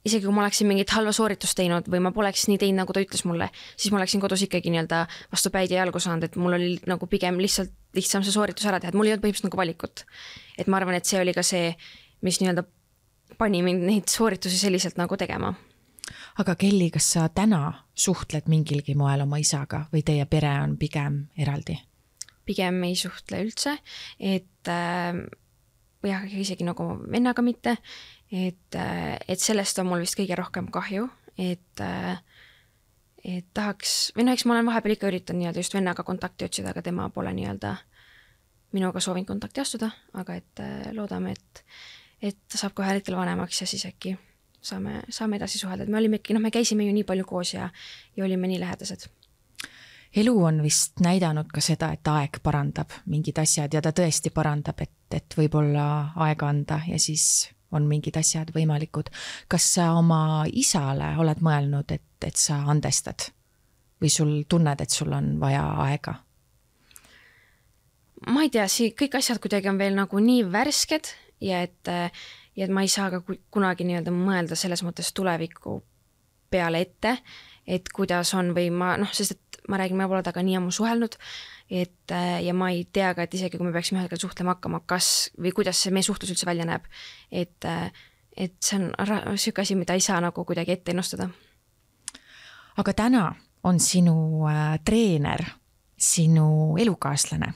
isegi kui ma oleksin mingit halva sooritust teinud või ma poleks nii teinud, nagu ta ütles mulle, siis ma oleksin kodus ikkagi nii-öelda vastu päid ja jalgu saanud, et mul oli nagu pigem lihtsalt lihtsam see sooritus ära teha, et mul ei olnud põhimõtteliselt nagu valikut. Et ma arvan, et see oli ka see, mis nii-öelda pani mind neid sooritusi selliselt nagu tegema. Aga Kelly, kas sa täna suhtled mingilgi moel oma isaga või teie pere on pigem eraldi? Pigem ei suhtle üldse, et jah, isegi nagu vennaga mitte, et sellest on mul vist kõige rohkem kahju, et tahaks, või no eks ma olen vahepeal ikka üritan nii-öelda just vennaga kontakti otsida, aga tema pole nii-öelda minuga soovinud kontakti astuda, aga et loodame, et ta saab kohe hetkel vanemaks ja siis äkki saame edasi suhelda, et me olime ikka, me käisime ju nii palju koos ja olime nii lähedased. Elu on vist näidanud ka seda, et aeg parandab mingid asjad ja ta tõesti parandab, et võib-olla aega anda ja siis on mingid asjad võimalikud. Kas sa oma isale oled mõelnud, et sa andestad või sul tunned, et sul on vaja aega? Ma ei tea, kõik asjad kuidagi on veel nagu nii värsked ja et ma ei saa ka kunagi nii-öelda mõelda selles mõttes tuleviku peale ette, et kuidas on või sest et ma räägin, ma pole taga nii ammu suhelnud, ja ma ei tea ka, et isegi kui me peaksime ühel suhtlema hakkama, kas või kuidas see meie suhtlus üldse välja näeb, et see on selline asi, mida ei saa nagu kuidagi ette ennustada. Aga täna on sinu treener, sinu elukaaslane.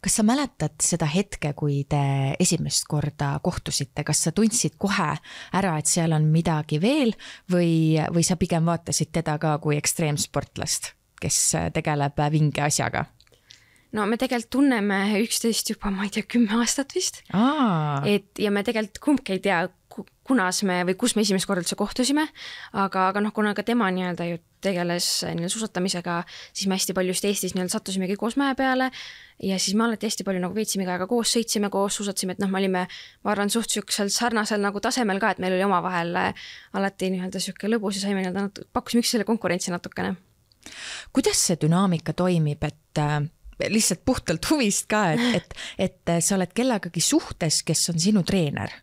Kas sa mäletad seda hetke, kui te esimest korda kohtusite? Kas sa tundsid kohe ära, et seal on midagi veel või sa pigem vaatasid teda ka kui ekstreemsportlast, kes tegeleb vinge asjaga? No me tegelikult tunneme üksteist juba, ma ei tea, 10 aastat vist. Ja me tegelikult kumbki ei tea, kus me esimest korda üldse kohtusime, aga kuna ka tema nii-öelda ju tegeles suusatamisega, siis me hästi palju just Eestis nii-öelda sattusimegi koos mäe peale ja siis me alati hästi palju nagu veetsime ka koos, sõitsime koos, suusatsime, et me olime, ma arvan, suht sarnasel nagu tasemel ka, et meil oli omavahel alati nii-öelda siuke lõbus ja saime nii-öelda pakkusime üksteisele konkurentsi natukene. Kuidas see dünaamika toimib, et lihtsalt puhtalt huvist ka, et sa oled kellegagi suhtes, kes on sinu treener?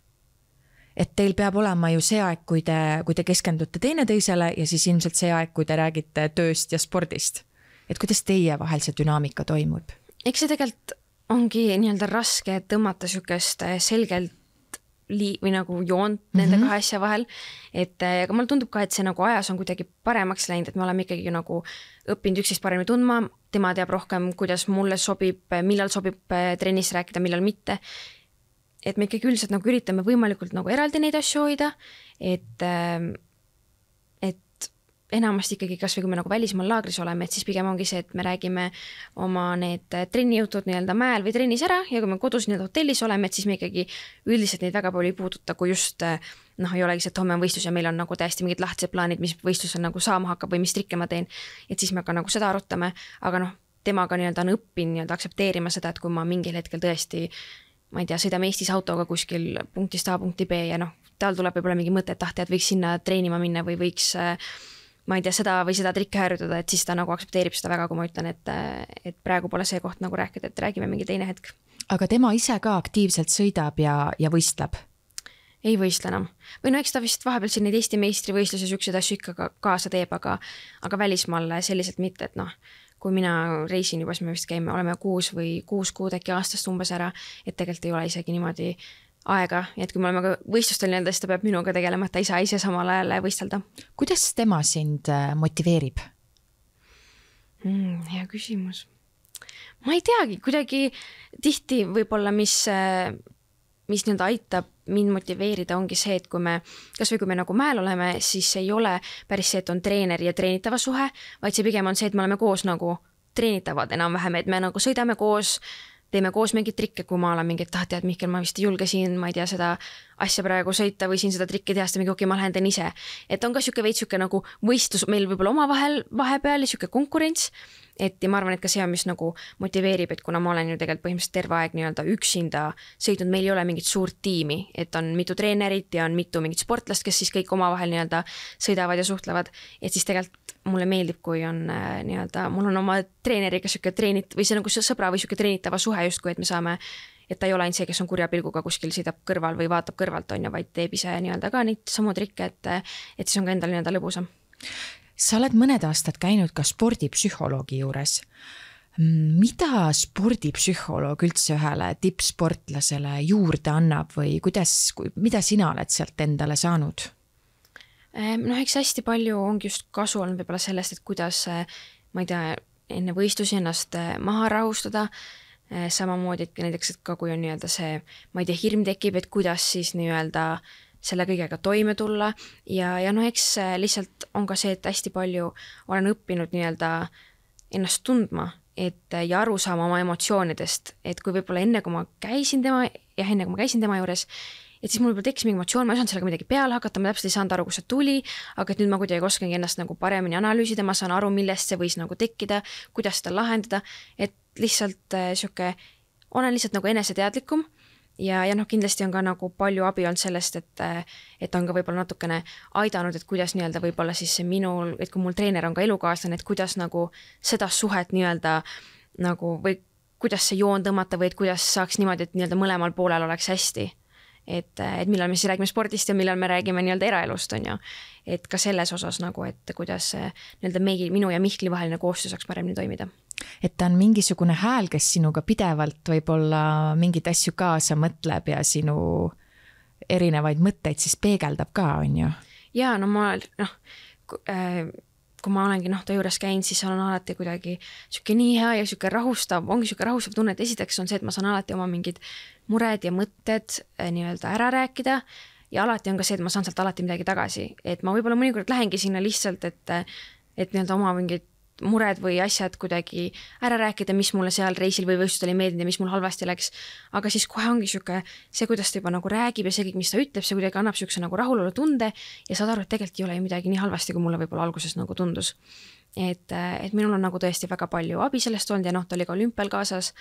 Et teil peab olema ju see aeg, kui te keskendute teineteisele ja siis ilmselt see aeg, kui te räägite tööst ja spordist. Et kuidas teie vahel see dünaamika toimub? Eks see tegelikult ongi nii-öelda raske tõmmata sükest selgelt või nagu joont nende kahe asja vahel. Aga mulle tundub ka, et see nagu ajas on kuidagi paremaks läinud, et me oleme ikkagi nagu õppinud üksteist paremini tundma, tema teab rohkem, kuidas mulle sobib, millal sobib trennis rääkida, millal mitte. Et me ikkagi üldiselt nagu üritame võimalikult nagu eraldi neid asju hoida, et enamasti ikkagi kas või kui me nagu välismaal laagris oleme, et siis pigem ongi see, et me räägime oma need trennijutud nii-öelda mäel või trennis ära ja kui me kodus nii-öelda hotellis oleme, et siis me ikkagi üldiselt neid väga palju ei puuduta, kui just ei olegi see, et homme on võistlus ja meil on nagu täiesti mingid lahtised plaanid, mis võistlusel nagu saama hakkab või mis trikke ma teen, et siis me ka nagu seda arutame, aga temaga nii-öelda on õppinud nii-öelda aksepteerima seda, et kui ma mingil hetkel tõesti ma ei tea, sõidame Eestis autoga kuskil punktist A punkti B ja tal tuleb võib-olla mingi mõte, et tead, võiks sinna treenima minna või võiks, ma ei tea, seda või seda trikke harjutada, et siis ta nagu aksepteerib seda väga, kui ma ütlen, et praegu pole see koht nagu rääkida, et räägime mingi teine hetk. Aga tema ise ka aktiivselt sõidab ja võistleb? Ei võistle enam. Või eks ta vist vahepeal siin neid Eesti meistrivõistluse sükseid asju ikka kaasa teeb, aga välismaal selliselt mitte, et kui mina reisin juba, siis me vist käime, oleme 6 kuud äkki aastast umbes ära, et tegelikult ei ole isegi niimoodi aega, et kui me oleme ka võistlustel nii-öelda, siis ta peab minuga tegelema, et ta ei saa ise samal ajal võistelda. Kuidas tema sind motiveerib? Hea küsimus. Ma ei teagi, kuidagi tihti võib-olla, mis nii-öelda aitab mind motiveerida, ongi see, et kui me nagu mäel oleme, siis ei ole päris see, et on treener ja treenitava suhe, vaid see pigem on see, et me oleme koos nagu treenitavad enam-vähem, et me nagu sõidame koos, teeme koos mingid trikke, kui ma olen mingi, et tead, Mihkel, ma vist ei julge siin, ma ei tea, seda asja praegu sõita või siin seda trikki teha, seda mingi okei, ma lähen teen ise. Et on ka siuke veits siuke nagu võistlus meil võib-olla omavahel vahepeal ja siuke konkurents, et ja ma arvan, et ka see on, mis nagu motiveerib, et kuna ma olen ju tegelikult põhimõtteliselt terve aeg nii-öelda üksinda sõidnud, meil ei ole mingit suurt tiimi, et on mitu treenerit ja on mitu mingit sportlast, kes siis kõik omavahel nii-öelda sõidavad ja suhtlevad, et siis tegelikult mulle meeldib, kui on nii-öelda, mul on oma treeneriga siuke või see nagu sõbra või siuke treenitava suhe justkui, et me saame et ta ei ole ainult see, kes on kurja pilguga kuskil sõidab kõrval või vaatab kõrvalt, on ju, vaid teeb ise nii-öelda ka neid samu trikke, et siis on ka endal nii-öelda lõbusam. Sa oled mõned aastad käinud ka spordipsühholoogi juures. Mida spordipsühholoog üldse ühele tippsportlasele juurde annab või mida sina oled sealt endale saanud? Eks hästi palju ongi just kasu olnud võib-olla sellest, et kuidas, ma ei tea, enne võistlusi ennast maha rahustada, samamoodi, et näiteks, et ka kui on nii-öelda see, ma ei tea, hirm tekib, et kuidas siis nii-öelda selle kõigega toime tulla ja eks lihtsalt on ka see, et hästi palju olen õppinud nii-öelda ennast tundma, ja aru saama oma emotsioonidest, et kui võib-olla enne, kui ma käisin tema juures, et siis mul võib-olla tekkis mingi emotsioon, ma ei saanud sellega midagi peale hakata, ma täpselt ei saanud aru, kus see tuli, aga et nüüd ma kuidagi oskangi ennast nagu paremini analüüsida, ma saan aru, millest see võis nagu tekkida, kuidas seda lahendada, et lihtsalt olen lihtsalt nagu eneseteadlikum ja kindlasti on ka nagu palju abi olnud sellest, et on ka võib-olla natukene aidanud, et kuidas nii-öelda võib-olla siis minul, et kui mul treener on ka elukaaslane, et kuidas nagu seda suhet nii-öelda nagu või kuidas see joon tõmmata või et kuidas saaks niimoodi, et nii-öelda mõlemal poolel oleks hästi. Et millal me siis räägime spordist ja millal me räägime nii-öelda eraelust, on ju. Et ka selles osas nagu, et kuidas nii-öelda minu ja Mihkli vaheline koostöö saaks paremini toimida. Et ta on mingisugune hääl, kes sinuga pidevalt võib-olla mingid asju kaasa mõtleb ja sinu erinevaid mõtteid siis peegeldab ka, on ju? Jaa, kui ma olengi ta juures käinud, siis on alati kuidagi siuke nii hea ja siuke rahustav, ongi siuke rahustav tunne, et esiteks on see, et ma saan alati oma mingid mured ja mõtted nii-öelda ära rääkida ja alati on ka see, et ma saan sealt alati midagi tagasi, et ma võib-olla mõnikord lähengi sinna lihtsalt, et nii-öelda oma mingid mured või asjad kuidagi ära rääkida, mis mulle seal reisil või võistlustel ei meeldinud ja mis mul halvasti läks, aga siis kohe ongi siuke see, kuidas ta juba nagu räägib ja see kõik, mis ta ütleb, see kuidagi annab siukse nagu rahulolu tunde ja saad aru, et tegelikult ei ole midagi nii halvasti, kui mulle võib-olla alguses nagu tundus. Et minul on nagu tõesti väga palju abi sellest olnud ja ta oli ka olümpial kaasas,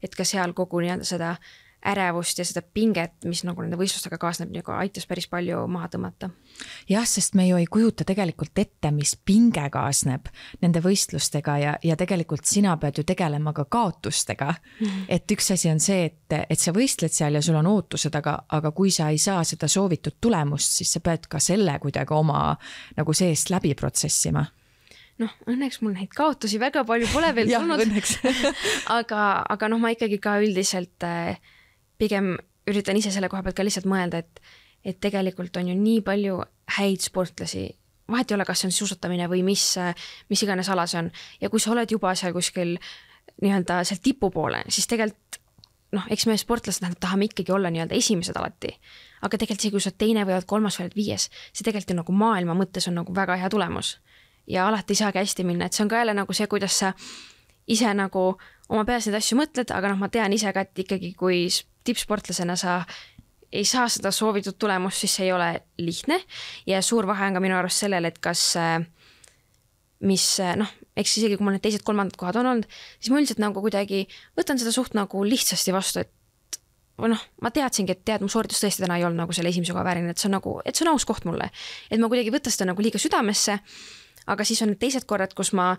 et ka seal kogu nii-öelda seda ärevust ja seda pinget, mis nagu nende võistlustega kaasneb, nagu aitas päris palju maha tõmmata. Jah, sest me ju ei kujuta tegelikult ette, mis pinge kaasneb nende võistlustega ja tegelikult sina pead ju tegelema ka kaotustega. Et üks asi on see, et sa võistled seal ja sul on ootused, aga kui sa ei saa seda soovitud tulemust, siis sa pead ka selle kuidagi oma nagu seest läbi protsessima. Õnneks mul neid kaotusi väga palju pole veel tulnud. aga ma ikkagi ka üldiselt pigem üritan ise selle koha pealt ka lihtsalt mõelda, et tegelikult on ju nii palju häid sportlasi, vahet ei ole, kas see on suusatamine või mis iganes ala see on. Ja kui sa oled juba seal kuskil nii-öelda seal tipu poole, siis tegelikult, eks me sportlased tahame ikkagi olla nii-öelda esimesed alati. Aga tegelikult see, kui sa oled teine või oled kolmas või oled viies, see tegelikult nagu maailma mõttes on nagu väga hea tulemus. Ja alati ei saagi hästi minna, et see on ka jälle nagu see, kuidas sa ise nagu oma peas neid asju mõtled, aga ma tean ise ka, et ikkagi kui tippsportlasena sa ei saa seda soovitud tulemust, siis see ei ole lihtne ja suur vahe on ka minu arust sellele, et kas eks isegi kui mul need teised kolmandad kohad on olnud, siis ma üldiselt nagu kuidagi võtan seda suht nagu lihtsasti vastu, et ma teadsingi, et mu sooritus tõesti täna ei olnud nagu selle esimese koha vääriline, et see on aus koht mulle, et ma kuidagi võtta seda nagu liiga südamesse, aga siis on need teised korrad, kus ma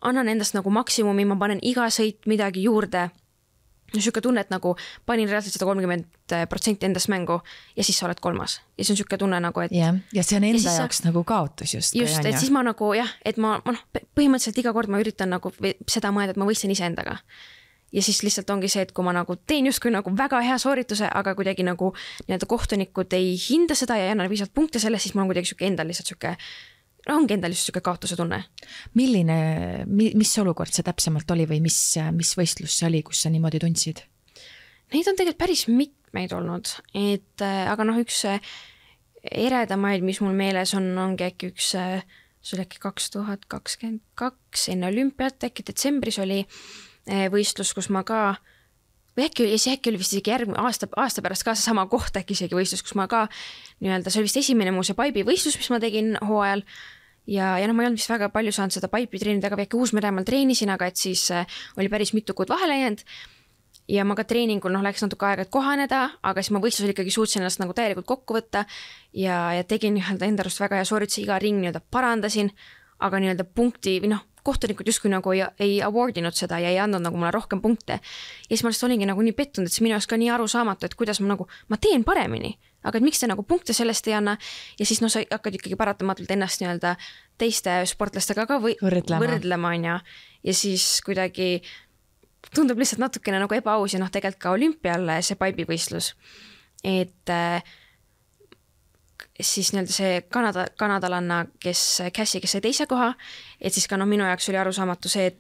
annan endast nagu maksimumi, ma panen iga sõit midagi juurde. Siuke tunne, et nagu panin reaalselt 130% endast mängu ja siis sa oled kolmas. Ja see on siuke tunne nagu, et... Ja see on enda jaoks nagu kaotus just. Just, et siis ma nagu et ma põhimõtteliselt iga kord ma üritan nagu seda mõelda, et ma võistlen ise endaga. Ja siis lihtsalt ongi see, et kui ma nagu teen justkui nagu väga hea soorituse, aga kuidagi nagu nii-öelda kohtunikud ei hinda seda ja ei anna piisavalt punkte selle, siis mul on kuidagi siuke endal lihtsalt siuke ongi endal just siuke kaotuse tunne. Mis olukord see täpsemalt oli või mis võistlus see oli, kus sa niimoodi tundsid? Neid on tegelikult päris mitmeid olnud, aga üks eredamaid, mis mul meeles ongi äkki üks, see oli äkki 2022 enne olümpiat, äkki detsembris oli võistlus, kus ma ka või äkki oli vist isegi järgmine aasta pärast ka see sama koht äkki isegi võistlus, kus ma ka nii-öelda, see oli vist esimene muu see paibi võistlus, mis ma tegin hooajal ja ma ei olnud vist väga palju saanud seda paipi treenida, aga äkki Uus-Meremaal treenisin, aga et siis oli päris mitu kuud vahele jäänud ja ma ka treeningul läks natuke aega, et kohaneda, aga siis ma võistlusel ikkagi suutsin ennast nagu täielikult kokku võtta ja tegin enda arust väga hea soorituse, iga ring nii-öelda parandasin, aga nii-öelda punkti või kohtunikud justkui nagu ei awardinud seda ja ei andnud nagu mulle rohkem punkte. Ja siis ma lihtsalt olingi nagu nii pettunud, et see minu jaoks ka nii arusaamatu, et kuidas ma teen paremini, aga et miks te nagu punkte sellest ei anna. Ja siis sa hakkad ikkagi paratamatult ennast nii-öelda teiste sportlastega ka võrdlema on ja siis kuidagi tundub lihtsalt natukene nagu ebaaus ja tegelikult ka olümpial see paibivõistlus. Et siis nii-öelda see kanadalanna, Cassie, kes sai teise koha, et siis ka minu jaoks oli arusaamatu see,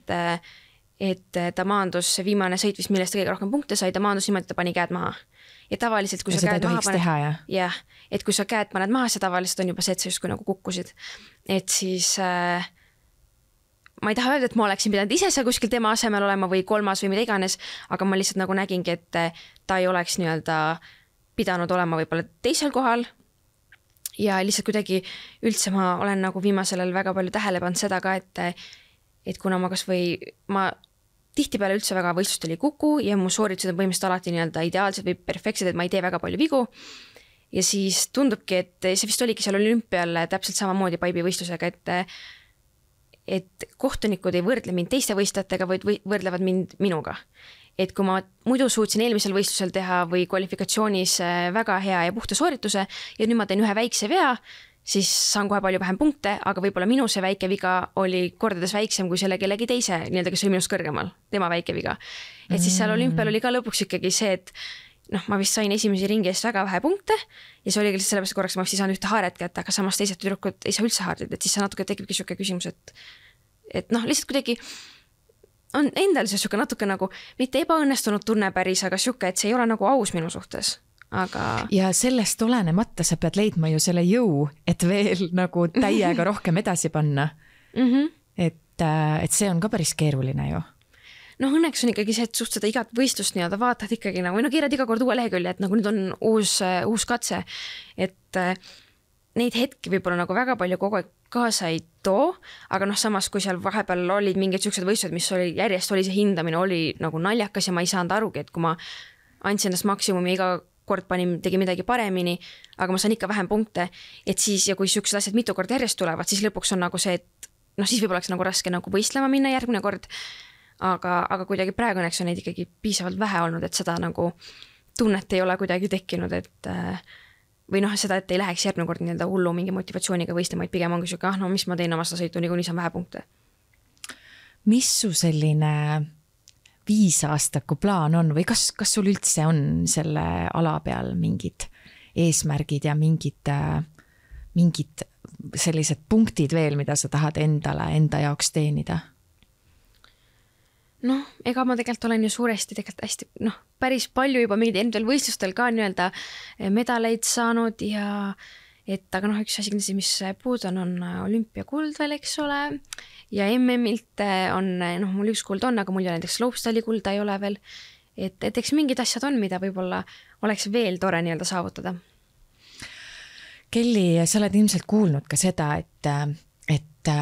et ta maandus see viimane sõit vist, millest ta kõige rohkem punkte sai, ta maandus niimoodi, et ta pani käed maha. Ja tavaliselt, kui sa käed maha paned, jah, et kui sa käed paned maha, see tavaliselt on juba see, et sa justkui nagu kukkusid. Et siis ma ei taha öelda, et ma oleksin pidanud ise seal kuskil tema asemel olema või kolmas või mida iganes, aga ma lihtsalt nagu nägingi, et ta ei oleks nii-öelda pidanud olema võib-olla teisel kohal. Ja lihtsalt kuidagi üldse ma olen nagu viimasel ajal väga palju tähele pannud seda ka, et kuna ma tihtipeale üldse väga võistlust oli kuku ja mu sooritused on põhimõtteliselt alati nii-öelda ideaalsed või perfektsed, et ma ei tee väga palju vigu. Ja siis tundubki, et see vist oligi seal olümpial täpselt samamoodi paibivõistlusega, et kohtunikud ei võrdle mind teiste võistlejatega, vaid võrdlevad mind minuga. Et kui ma muidu suutsin eelmisel võistlusel teha või kvalifikatsioonis väga hea ja puhta soorituse ja nüüd ma teen ühe väikse vea, siis saan kohe palju vähem punkte, aga võib-olla minu see väike viga oli kordades väiksem kui selle kellegi teise, nii-öelda, kes oli minust kõrgemal, tema väike viga. Et siis seal olümpial oli ka lõpuks ikkagi see, et ma vist sain esimesi ringi eest väga vähe punkte ja see oli lihtsalt sellepärast korraks, ma vist ei saanud ühte haaret kätte, aga samas teised tüdrukud ei saa üldse haardid, et siis see natuke tekibki siuke küsimus, et lihtsalt kuidagi on endal see siuke natuke nagu mitte ebaõnnestunud tunne päris, aga siuke, et see ei ole nagu aus minu suhtes. Aga... Ja sellest olenemata sa pead leidma ju selle jõu, et veel nagu täiega rohkem edasi panna. Et see on ka päris keeruline ju. Õnneks on ikkagi see, et suht seda igat võistlust nii-öelda vaatad ikkagi nagu, keerad iga kord uue lehekülje, et nagu nüüd on uus katse, et neid hetki võib-olla nagu väga palju kogu aeg kaasa ei too, aga samas kui seal vahepeal olid mingid siuksed võistlused, mis järjest oli see hindamine oli nagu naljakas ja ma ei saanud arugi, et kui ma andsin ennast maksimumi iga kord tegi midagi paremini, aga ma saan ikka vähem punkte, et siis ja kui siuksed asjad mitu kord järjest tulevad, siis lõpuks on nagu see, et siis võib-olla oleks nagu raske nagu võistlema minna järgmine kord, aga kuidagi praegu õnneks on neid ikkagi piisavalt vähe olnud, et seda nagu tunnet ei ole kuidagi tekkinud, et või seda, et ei läheks järgmine kord nii-öelda hullu mingi motivatsiooniga võistlema, et pigem ongi siuke, mis ma teen oma seda sõitu, nii saan vähe punkte. Mis su selline 5-aastaku plaan on või kas sul üldse on selle ala peal mingid eesmärgid ja mingid sellised punktid veel, mida sa tahad enda jaoks teenida? Ega ma tegelikult olen ju suuresti hästi, päris palju juba mingid endal võistlustel ka nii-öelda medaleid saanud ja aga üks asi, mis puud on olümpiakuld veel, eks ole, ja MM-ilt on, mul üks kuld on, aga mul ja näiteks slopestyle kulda ei ole veel, et eks mingid asjad on, mida võib-olla oleks veel tore nii-öelda saavutada. Kelly, sa oled ilmselt kuulnud ka seda, et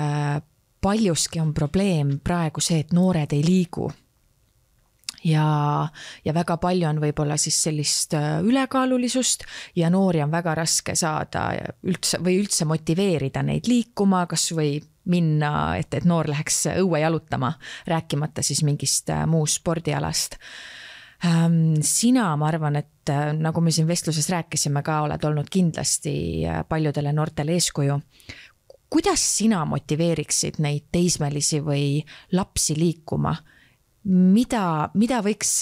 paljuski on probleem praegu see, et noored ei liigu. Ja väga palju on võib-olla siis sellist ülekaalulisust ja noori on väga raske saada üldse motiveerida neid liikuma, kas või minna, et noor läheks õue jalutama, rääkimata siis mingist muust spordialast. Sina, ma arvan, et nagu me siin vestluses rääkisime ka, oled olnud kindlasti paljudele noortele eeskuju. Kuidas sina motiveeriksid neid teismelisi või lapsi liikuma? Mida võiks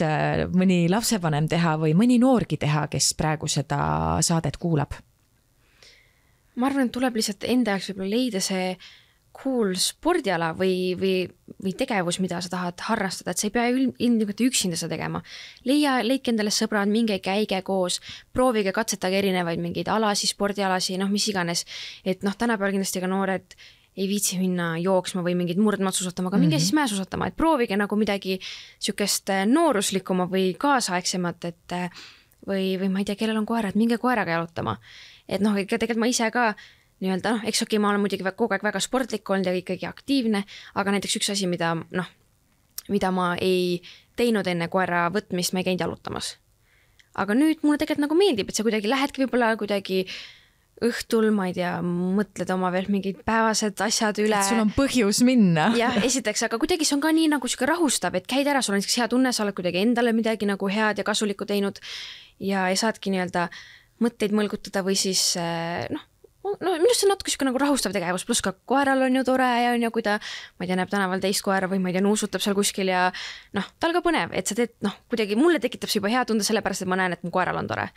mõni lapsevanem teha või mõni noorgi teha, kes praegu seda saadet kuulab? Ma arvan, et tuleb lihtsalt enda jaoks võib-olla leida see cool spordiala või tegevus, mida sa tahad harrastada, et sa ei pea ilmselt üksinda seda tegema. Leidke endale sõbrad, minge käige koos, proovige katsetage erinevaid mingeid alasi, spordialasi, mis iganes. Et tänapäeval kindlasti ka noored ei viitsi minna jooksma või mingid murdmaad suusatama, aga minge siis mäesuusatama, et proovige nagu midagi siukest nooruslikuma või kaasaegsemat, et või ma ei tea, kellel on koera, et minge koeraga jalutama. Et tegelikult ma ise ka nii-öelda, eks ma olen muidugi kogu aeg väga sportlik olnud ja ikkagi aktiivne, aga näiteks üks asi, mida ma ei teinud enne koera võtmist, ma ei käinud jalutamas. Aga nüüd mulle tegelikult nagu meeldib, et sa kuidagi lähedki võib-olla kuidagi õhtul, ma ei tea, mõtled oma veel mingid päevased asjad üle. Et sul on põhjus minna. Jah, esiteks, aga kuidagi see on ka nii nagu siuke rahustab, et käid ära, sul on hea tunne, sa oled kuidagi endale midagi nagu head ja kasulikku teinud ja saadki nii-öelda mõtteid mõlgutada või siis minust on natuke siuke nagu rahustav tegevus, pluss ka koeral on ju tore ja on ju, kui ta, ma ei tea, näeb tänaval teist koera või ma ei tea, nuusutab seal kuskil ja tal ka põnev, et sa teed, kuidagi mulle tekitab see juba hea tunde sellepärast, et ma näen, et mu koeral on tore.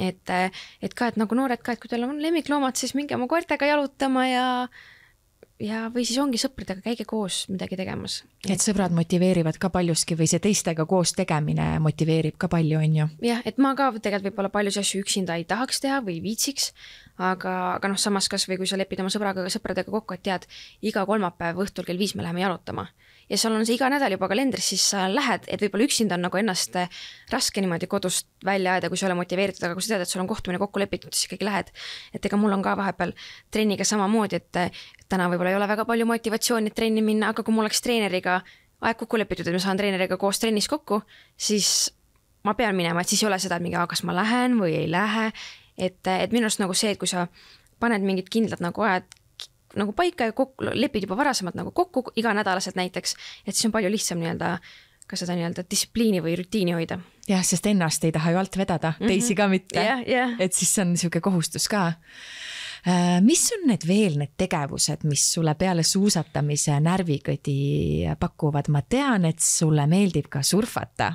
Et ka, et nagu noored ka, et kui teil on lemmikloomad, siis minge oma koertega jalutama ja või siis ongi sõpradega, käige koos midagi tegemas. Et sõbrad motiveerivad ka paljuski või see teistega koos tegemine motiveerib ka palju, on ju? Jah, et ma ka tegelikult võib-olla paljusi asju üksinda ei tahaks teha või viitsiks, aga samas kas või kui sa lepid oma sõpradega kokku, et tead, iga kolmapäev õhtul kell 5 me läheme jalutama ja sul on see iga nädal juba kalendris, siis sa lähed, et võib-olla üksinda on nagu ennast raske niimoodi kodust välja ajada, kui sa ole motiveeritud, aga kui sa tead, et sul on kohtumine kokku lepitud, siis ikkagi lähed. Et ega mul on ka vahepeal trenniga samamoodi, et täna võib-olla ei ole väga palju motivatsiooni trenni minna, aga kui mul oleks treeneriga aeg kokku lepitud, et ma saan treeneriga koos trennis kokku, siis ma pean minema, et siis ei ole seda, et kas ma lähen või ei lähe. Et minu arust nagu see, et kui sa paned mingid kindlad nagu ajad nagu paika ja lepid juba varasemalt nagu kokku iganädalaselt näiteks, et siis on palju lihtsam nii-öelda ka seda nii-öelda distsipliini või rutiini hoida. Jah, sest ennast ei taha ju alt vedada, teisi ka mitte. Yeah. Et siis on niisugune kohustus ka. Mis on veel need tegevused, mis sulle peale suusatamise närvikõdi pakuvad? Ma tean, et sulle meeldib ka surfata.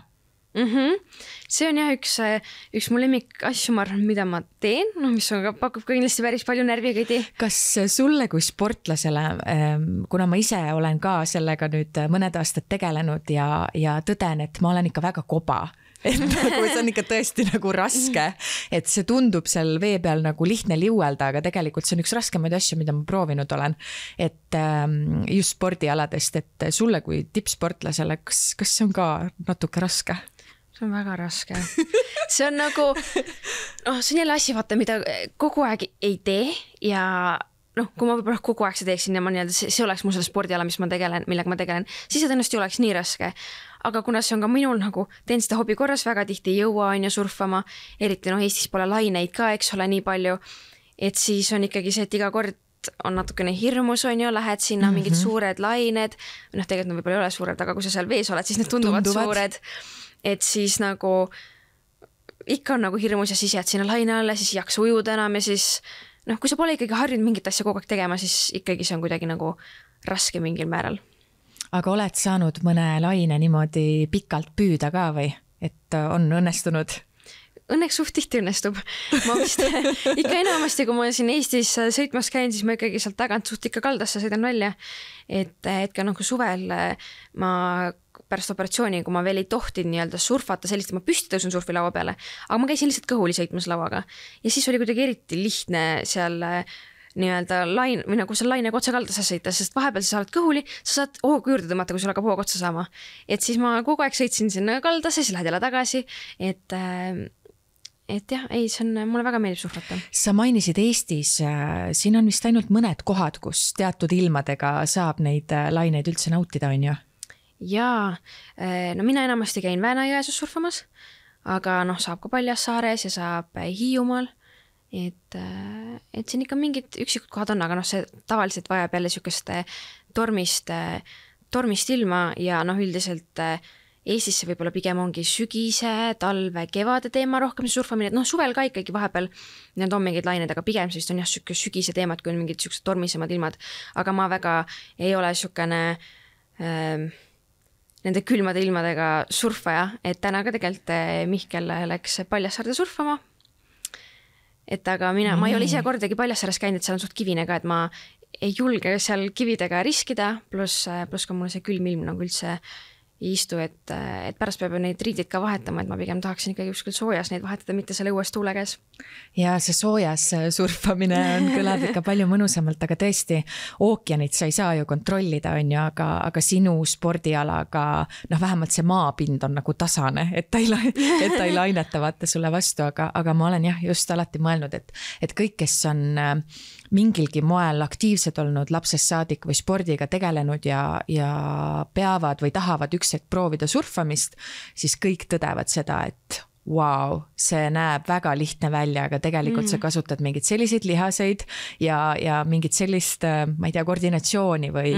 See on jah üks mu lemmik asju, mida ma teen, mis on pakub ka kindlasti päris palju närvikõdi. Kas sulle kui sportlasele, kuna ma ise olen ka sellega nüüd mõned aastad tegelenud ja tõden, et ma olen ikka väga koba, et nagu see on ikka tõesti nagu raske, et see tundub seal vee peal nagu lihtne liuelda, aga tegelikult see on üks raskemaid asju, mida ma proovinud olen, et just spordialadest, et sulle kui tippsportlasele, kas see on ka natuke raske? See on väga raske. See on nagu, see on jälle asi, vaata, mida kogu aeg ei tee ja kui ma võib-olla kogu aeg see teeksin ja ma nii-öelda, see oleks mu selle spordiala, millega ma tegelen, siis see tõenäoliselt oleks nii raske. Aga kuna see on ka minul nagu, teen seda hobi korras, väga tihti ei jõua on ju surfama, eriti Eestis pole laineid ka, eks ole, nii palju, et siis on ikkagi see, et iga kord on natukene hirmus on ju, lähed sinna mingid suured lained, tegelikult võib-olla ei ole suured, aga kui sa seal vees oled, siis need tunduvad suured. Et siis nagu ikka on nagu hirmus ja siis jääd sinna laine alla, siis ei jaksa ujuda enam ja siis kui sa pole ikkagi harjunud mingit asja kogu aeg tegema, siis ikkagi see on kuidagi nagu raske mingil määral. Aga oled saanud mõne laine niimoodi pikalt püüda ka või? Et on õnnestunud? Õnneks suht tihti õnnestub. Ma vist ikka enamasti, kui ma siin Eestis sõitmas käin, siis ma ikkagi sealt tagant suht ikka kaldasse sõidan välja. Et ka suvel ma pärast operatsiooni, kui ma veel ei tohtinud nii-öelda surfata sellist, et ma püsti tõusun surfilaua peale, aga ma käisin lihtsalt kõhuli sõitmas lauaga ja siis oli kuidagi eriti lihtne seal nii-öelda lain või nagu seal lainega otsa kaldasse sõita, sest vahepeal sa oled kõhuli, sa saad hoogu juurde tõmmata, kui sul hakkab hoog otsa saama. Et siis ma kogu aeg sõitsin sinna kaldasse, siis lähed jälle tagasi, et jah, ei, see on, mulle väga meeldib surfata. Sa mainisid Eestis, siin on vist ainult mõned kohad, kus teatud ilmadega saab neid laineid üldse nautida, on ju? Jaa, mina enamasti käin Väänajõesus surfamas, aga saab ka Paljassaares ja saab Hiiumaal, et siin ikka mingid üksikud kohad on, aga see tavaliselt vajab jälle siukest tormist ilma ja üldiselt Eestis see võib-olla pigem ongi sügise, talve, kevade teema rohkem see surfamine, et suvel ka ikkagi vahepeal need on mingid lained, aga pigem siis on jah sügise teemad, kui on mingid siuksed tormisemad ilmad, aga ma väga ei ole siukene nende külmade ilmadega surfaja, et täna ka tegelikult Mihkel läks Paljassaarde surfama. Et aga ma ei ole ise kordagi Paljassaares käinud, et seal on suht kivine ka, et ma ei julge seal kividega riskida, pluss ka mulle see külm ilm nagu üldse ei istu, et pärast peab neid riidid ka vahetama, et ma pigem tahaksin ikkagi kuskil soojas neid vahetada, mitte selle õues tuule käes. Ja see soojas surfamine kõlab ikka palju mõnusamalt, aga tõesti ookeanit sa ei saa ju kontrollida, on ju, aga sinu spordialaga, vähemalt see maapind on nagu tasane, et ta ei laineta vaata sulle vastu, aga ma olen jah just alati mõelnud, et kõik, kes on mingilgi moel aktiivsed olnud lapsest saadik või spordiga tegelenud ja peavad või tahavad üks hetk proovida surfamist, siis kõik tõdevad seda, et wow, see näeb väga lihtne välja, aga tegelikult sa kasutad mingeid selliseid lihaseid ja mingit sellist, ma ei tea, koordinatsiooni või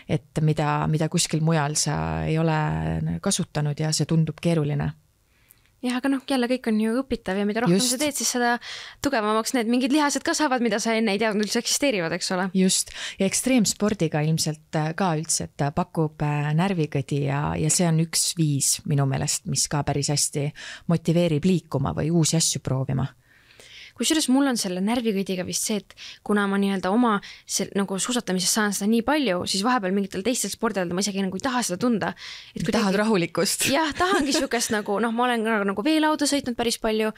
et mida kuskil mujal sa ei ole kasutanud ja see tundub keeruline. Jah, aga jälle kõik on ju õpitav ja mida rohkem sa teed, siis seda tugevamaks need mingid lihased kasvavad, mida sa enne ei teadnud üldse eksisteerivad, eks ole. Just, ja ekstreemspordiga ilmselt ka üldse, et pakub närvikõdi ja see on üks viis minu meelest, mis ka päris hästi motiveerib liikuma või uusi asju proovima. Kusjuures mul on selle närvikõdiga vist see, et kuna ma nii-öelda oma nagu suusatamises saan seda nii palju, siis vahepeal mingitel teistel spordidel ma isegi nagu ei taha seda tunda. Tahad rahulikust? Jah, tahangi sükest nagu, ma olen nagu veelauda sõitnud päris palju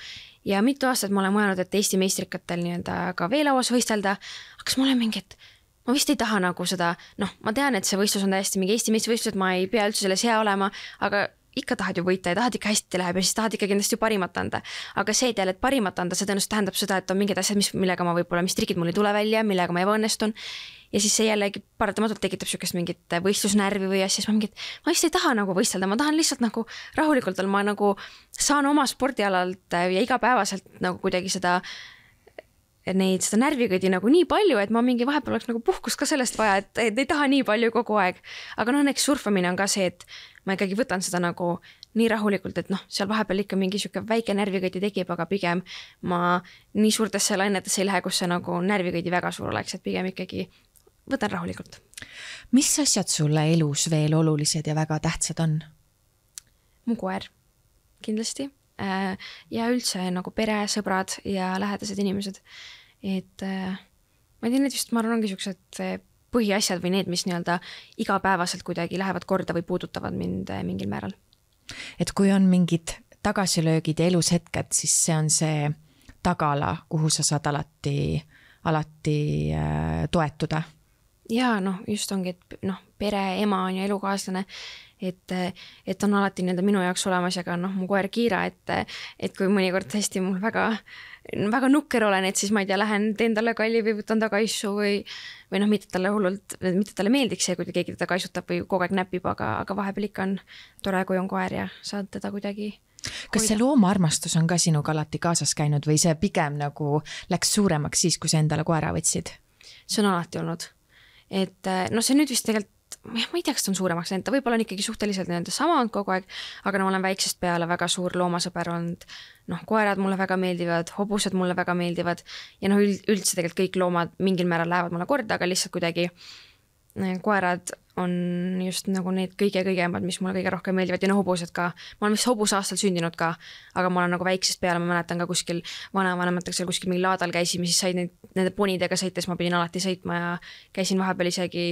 ja mitu aastat ma olen mõelnud, et Eesti meistrikatel nii-öelda ka veelauas võistelda, aga kas ma olen mingi, et ma vist ei taha nagu seda, ma tean, et see võistlus on täiesti mingi Eesti meistrivõistlus, et ma ei pea üldse selles hea olema, aga ikka tahad ju võita ja tahad ikka hästi läheb ja siis tahad ikka kindlasti ju parimat anda. Aga see jälle, et parimat anda, see tõenäoliselt tähendab seda, et on mingid asjad, millega ma võib-olla, mis trikid mul ei tule välja, millega ma ebaõnnestun. Ja siis see jällegi paratamatult tekitab sükest mingit võistlusnärvi või asja, siis ma vist ei taha nagu võistelda, ma tahan lihtsalt nagu rahulikult olla, ma nagu saan oma spordialalt ja igapäevaselt nagu kuidagi seda närvikõdi nagu nii palju, et ma mingi vahepeal oleks nagu puhkust ka sellest vaja, et ei taha nii palju kogu aeg. Aga õnneks surfamine on ka see, et ma ikkagi võtan seda nagu nii rahulikult, et seal vahepeal ikka mingi siuke väike närvikõdi tekib, aga pigem ma nii suurtesse lainetesse ei lähe, kus see nagu närvikõdi väga suur oleks, et pigem ikkagi võtan rahulikult. Mis asjad sulle elus veel olulised ja väga tähtsad on? Mu koer, kindlasti. Ja üldse nagu pere, sõbrad ja lähedased inimesed. Et ma ei tea, need vist ma arvan ongi siuksed põhiasjad või need, mis nii-öelda igapäevaselt kuidagi lähevad korda või puudutavad mind mingil määral. Et kui on mingid tagasilöögid ja elus hetked, siis see on see tagala, kuhu sa saad alati toetuda. Ja just ongi, et pere, ema on ja elukaaslane, et on alati nii-öelda minu jaoks olemas ja ka mu koer Kiira, et kui mõnikord hästi mul väga nukker olen, et siis ma ei tea, lähen teen talle kalli või võtan ta kaisu või mitte talle meeldiks see, kui keegi teda kaisutab või kogu aeg näpib, aga vahepeal ikka on tore, kui on koer ja saad teda kuidagi Kas see loomaarmastus on ka sinuga alati kaasas käinud või see pigem nagu läks suuremaks siis, kui sa endale koera võtsid? See on alati olnud. Et see nüüd vist tegelikult ma ei tea, kas ta on suuremaks läinud, ta võib-olla on ikkagi suhteliselt nende sama olnud kogu aeg, aga ma olen väiksest peale väga suur loomasõber olnud. Koerad mulle väga meeldivad, hobused mulle väga meeldivad ja üldse tegelikult kõik loomad mingil määral lähevad mulle korda, aga lihtsalt kuidagi koerad on just nagu need kõige-kõigemad, mis mulle kõige rohkem meeldivad ja hobused ka. Ma olen vist hobuse aastal sündinud ka, aga ma olen nagu väiksest peale, ma mäletan ka kuskil vanavanematega seal kuskil mingi laadal käisime, siis said nende ponidega sõites, ma pidin alati sõitma ja käisin vahepeal isegi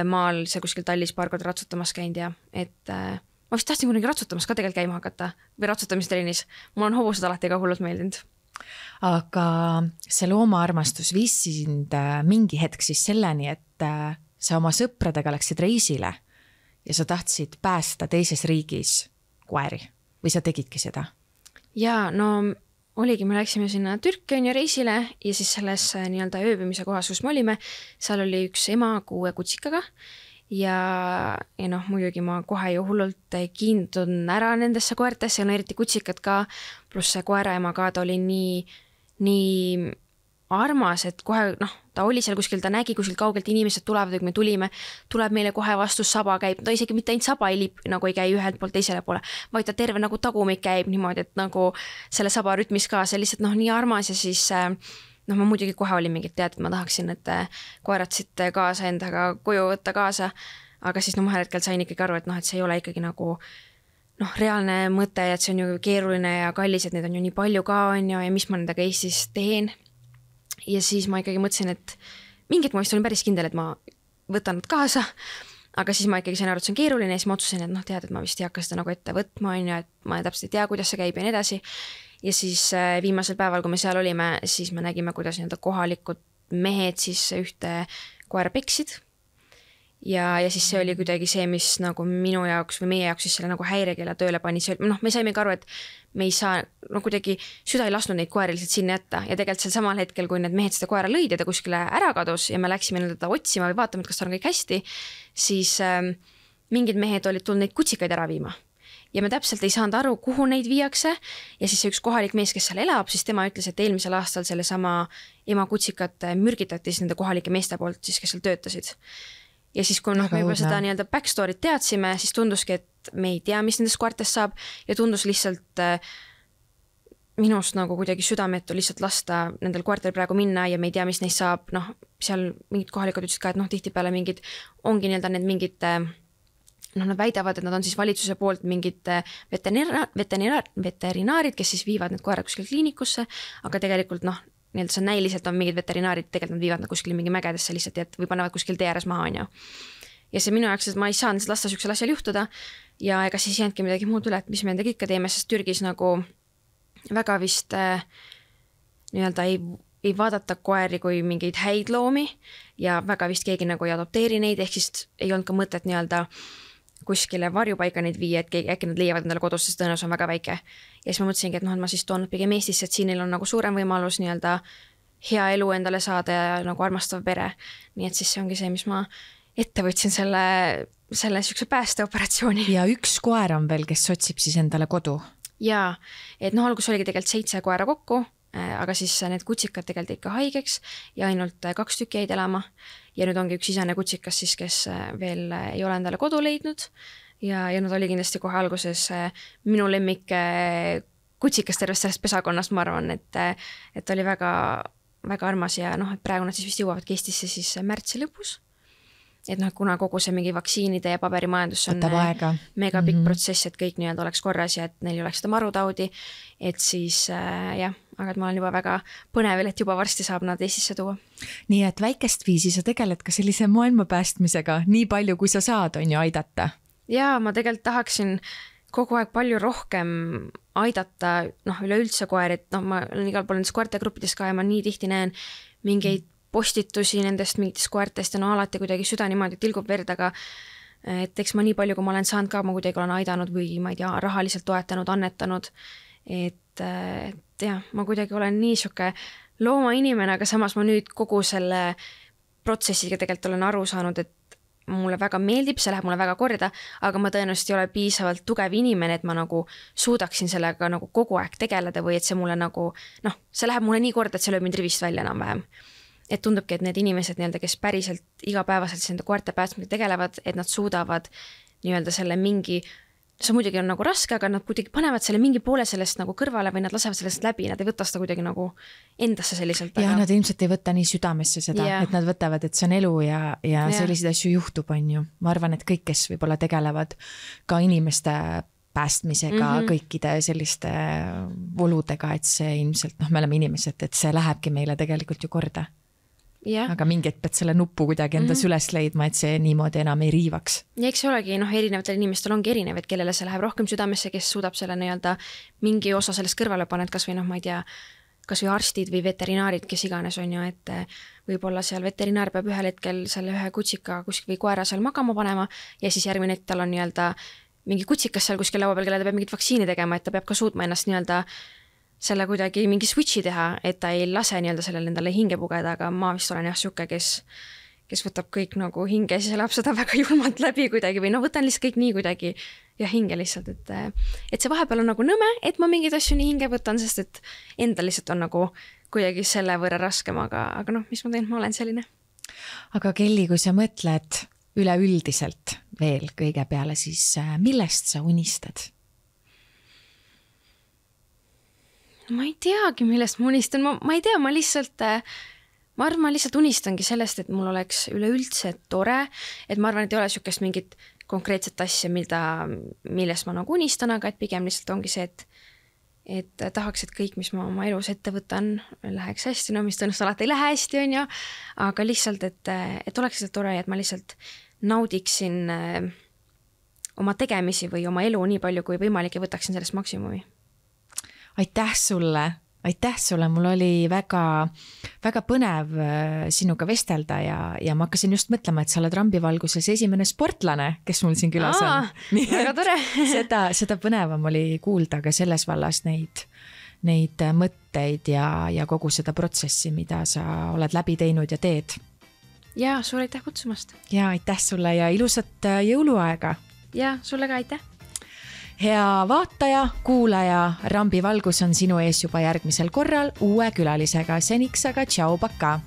maal see kuskil Tallis paar korda ratsutamas käinud ja et ma vist tahtsin kunagi ratsutamas ka tegelikult käima hakata või ratsutamistrennis. Mul on hobused alati ka hullult meeldinud. Aga see loomaarmastus viis sind mingi hetk siis selleni, et sa oma sõpradega läksid reisile ja sa tahtsid päästa teises riigis koeri või sa tegidki seda? Jaa, oligi, me läksime sinna Türki reisile ja siis selles nii-öelda ööbimise kohas, kus me olime, seal oli üks ema 6 kutsikaga ja muidugi ma kohe ju hullult kiindun ära nendesse koertesse, eriti kutsikad ka, pluss see koeraema ka, ta oli nii armas, et kohe, ta oli seal kuskil, ta nägi kuskil kaugelt inimesed tulevad, kui me tulime, tuleb meile kohe vastus, saba käib, ta isegi mitte ainult saba ei käi ühelt poolt teisele poole, vaid ta terve nagu tagumik käib niimoodi, et nagu selle saba rütmis ka, see lihtsalt nii armas ja siis ma muidugi kohe olin mingit tead, et ma tahaksin, et koerad siit kaasa endaga koju võtta kaasa, aga siis vahel hetkel sain ikkagi aru, et see ei ole ikkagi nagu reaalne mõte, et see on ju keeruline ja kallis, et need on ju nii palju ka on ja mis ma nendega Eestis teen. Ja siis ma ikkagi mõtlesin, et mingit ma vist olin päris kindel, et ma võtan nad kaasa, aga siis ma ikkagi sain aru, et see on keeruline ja siis ma otsusin, et tead, et ma vist ei hakka seda nagu ette võtma, on ju, et ma täpselt ei tea, kuidas see käib ja nii edasi. Ja siis viimasel päeval, kui me seal olime, siis me nägime, kuidas kohalikud mehed siis ühte koera peksid. Ja siis see oli kuidagi see, mis nagu minu jaoks või meie jaoks siis selle nagu häirekeele tööle pani. Me saime ka aru, et me ei saa, kuidagi süda ei lasknud neid koeri lihtsalt sinna jätta ja tegelikult sel samal hetkel, kui need mehed seda koera lõid ja ta kuskile ära kadus ja me läksime teda otsima või vaatama, et kas ta on kõik hästi, siis mingid mehed olid tulnud neid kutsikaid ära viima. ja me täpselt ei saanud aru, kuhu neid viiakse ja siis see üks kohalik mees, kes seal elab, siis tema ütles, et eelmisel aastal selle sama ema kutsikat mürgitati siis nende kohalike meeste poolt siis, kes seal töötasid. Ja siis, kui me juba seda nii-öelda backstory't teadsime, siis tunduski, et me ei tea, mis nendest koertest saab ja tundus lihtsalt minust nagu kuidagi südametu lihtsalt lasta nendel koertel praegu minna ja me ei tea, mis neist saab, noh, seal mingid kohalikud ütlesid ka, et noh, tihtipeale mingid, ongi nii-öelda need mingid, noh, nad väidavad, et nad on siis valitsuse poolt mingid veterinaarid, kes siis viivad need koerad kuskil kliinikusse, aga tegelikult noh, nii-öelda see näiliselt on mingid veterinaarid, tegelikult nad viivad nad kuskil mingi mägedesse lihtsalt, et või panevad kuskil tee ääres maha, on ju. Ja see minu jaoks, et ma ei saanud lasta sükksel asjal juhtuda ja ega siis jäänudki midagi muud üle, et mis me nendega ikka teeme, sest Türgis nagu väga vist nii-öelda ei vaadata koeri kui mingeid häid loomi ja väga vist keegi nagu ei adopteeri neid, ehk siis ei olnud ka mõtet nii-öelda kuskile varjupaika neid viia, et äkki nad leiavad endale kodus, sest tõenäosus on väga väike. Ja siis ma mõtlesingi, et noh, et ma siis toon pigem Eestisse, et siin neil on nagu suurem võimalus nii-öelda hea elu endale saada ja nagu armastav pere. Nii et siis see ongi see, mis ma ette võtsin selle sükse päästeoperatsiooni. Ja üks koer on veel, kes otsib siis endale kodu. Jaa, et noh, algus oligi tegelikult 7 koera kokku, aga siis need kutsikad tegelikult ikka haigeks ja ainult 2 tükki jäid elama. Ja nüüd ongi üks isane kutsikas siis, kes veel ei ole endale kodu leidnud ja nad oli kindlasti kohe alguses minu lemmik kutsikas tervest sellest pesakonnast, ma arvan, et oli väga, väga armas ja noh, et praegu nad siis vist jõuavad Eestisse siis märtsi lõpus. Et noh, kuna kogu see mingi vaktsiinide ja paberimajandus on mega pikk protsess, et kõik nii-öelda oleks korras ja et neil ei oleks seda marutaudi, et siis jah, aga et ma olen juba väga põnevil, et juba varsti saab nad Eestisse tuua. Nii et väikest viisi sa tegeled ka sellise maailma päästmisega, nii palju kui sa saad, on ju aidata? Jaa, ma tegelikult tahaksin kogu aeg palju rohkem aidata, noh, üleüldse koeri, et noh, ma olen igal pool nendes koertegruppides ka ja ma nii tihti näen mingeid postitusi nendest mingitest koertest ja no alati kuidagi süda niimoodi tilgub verd, aga et eks ma nii palju, kui ma olen saanud ka, ma kuidagi olen aidanud või ma ei tea, rahaliselt toetanud, annetanud, et jah, ma kuidagi olen nii siuke loomainimene, aga samas ma nüüd kogu selle protsessiga tegelikult olen aru saanud, et mulle väga meeldib, see läheb mulle väga korda, aga ma tõenäoliselt ei ole piisavalt tugev inimene, et ma nagu suudaksin sellega nagu kogu aeg tegeleda või et see mulle nagu, noh, see läheb mulle nii korda, et see lööb mind rivist välja enam-vähem. Et tundubki, et need inimesed, nii-öelda, kes päriselt igapäevaselt nende koerte päästmisega tegelevad, et nad suudavad nii-öelda selle mingi, see muidugi on nagu raske, aga nad kuidagi panevad selle mingi poole sellest nagu kõrvale või nad lasevad sellest läbi, nad ei võta seda kuidagi nagu endasse selliselt. Ja nad ilmselt ei võta nii südamesse seda, et nad võtavad, et see on elu ja selliseid asju juhtub, on ju. Ma arvan, et kõik, kes võib-olla tegelevad ka inimeste päästmisega, kõikide selliste oludega, et see ilmselt, noh, me oleme inimesed, et see lähebki meile tegelikult ju korda. Aga mingi, et pead selle nuppu kuidagi endas üles leidma, et see niimoodi enam ei riivaks. Ja eks see olegi, noh, erinevatel inimestel ongi erinev, et kellele see läheb rohkem südamesse, kes suudab selle nii-öelda mingi osa sellest kõrvale panna, et kas või noh, ma ei tea, kas või arstid või veterinaarid, kes iganes on ju, et võib-olla seal veterinaar peab ühel hetkel selle ühe kutsika kuskil või koera seal magama panema ja siis järgmine hetk tal on nii-öelda mingi kutsikas seal kuskil laua peal, kelle ta peab mingit vaktsiini tegema, et ta peab ka suutma ennast nii-öelda selle kuidagi mingi switchi teha, et ta ei lase nii-öelda sellele endale hinge pugeda, aga ma vist olen jah siuke, kes võtab kõik nagu hinge ja siis elab seda väga julmalt läbi kuidagi või no võtan lihtsalt kõik nii kuidagi ja hinge lihtsalt, et see vahepeal on nagu nõme, et ma mingeid asju nii hinge võtan, sest et enda lihtsalt on nagu kuidagi selle võrra raskem, aga noh, mis ma teen, ma olen selline. Aga Kelly, kui sa mõtled üleüldiselt veel kõige peale, siis millest sa unistad? Ma ei teagi, millest ma unistan, ma ei tea, ma arvan, ma lihtsalt unistangi sellest, et mul oleks üleüldse tore, et ma arvan, et ei ole siukest mingit konkreetset asja, millest ma nagu unistan, aga et pigem lihtsalt ongi see, et tahaks, et kõik, mis ma oma elus ette võtan, läheks hästi, no mis tõenäoliselt alati ei lähe hästi, on ju, aga lihtsalt, et oleks lihtsalt tore, et ma lihtsalt naudiksin oma tegemisi või oma elu nii palju kui võimalik ja võtaksin sellest maksimumi. Aitäh sulle, mul oli väga, väga põnev sinuga vestelda ja ma hakkasin just mõtlema, et sa oled rambivalguses esimene sportlane, kes mul siin külas on. Väga tore. seda põnevam oli kuulda ka selles vallas neid mõtteid ja kogu seda protsessi, mida sa oled läbi teinud ja teed. Ja, sulle aitäh kutsumast. Ja aitäh sulle ja ilusat jõuluaega. Ja, sulle ka aitäh. hea vaataja, kuulaja, Rambi valgus on sinu ees juba järgmisel korral uue külalisega. Seniks aga tšau, pakaa!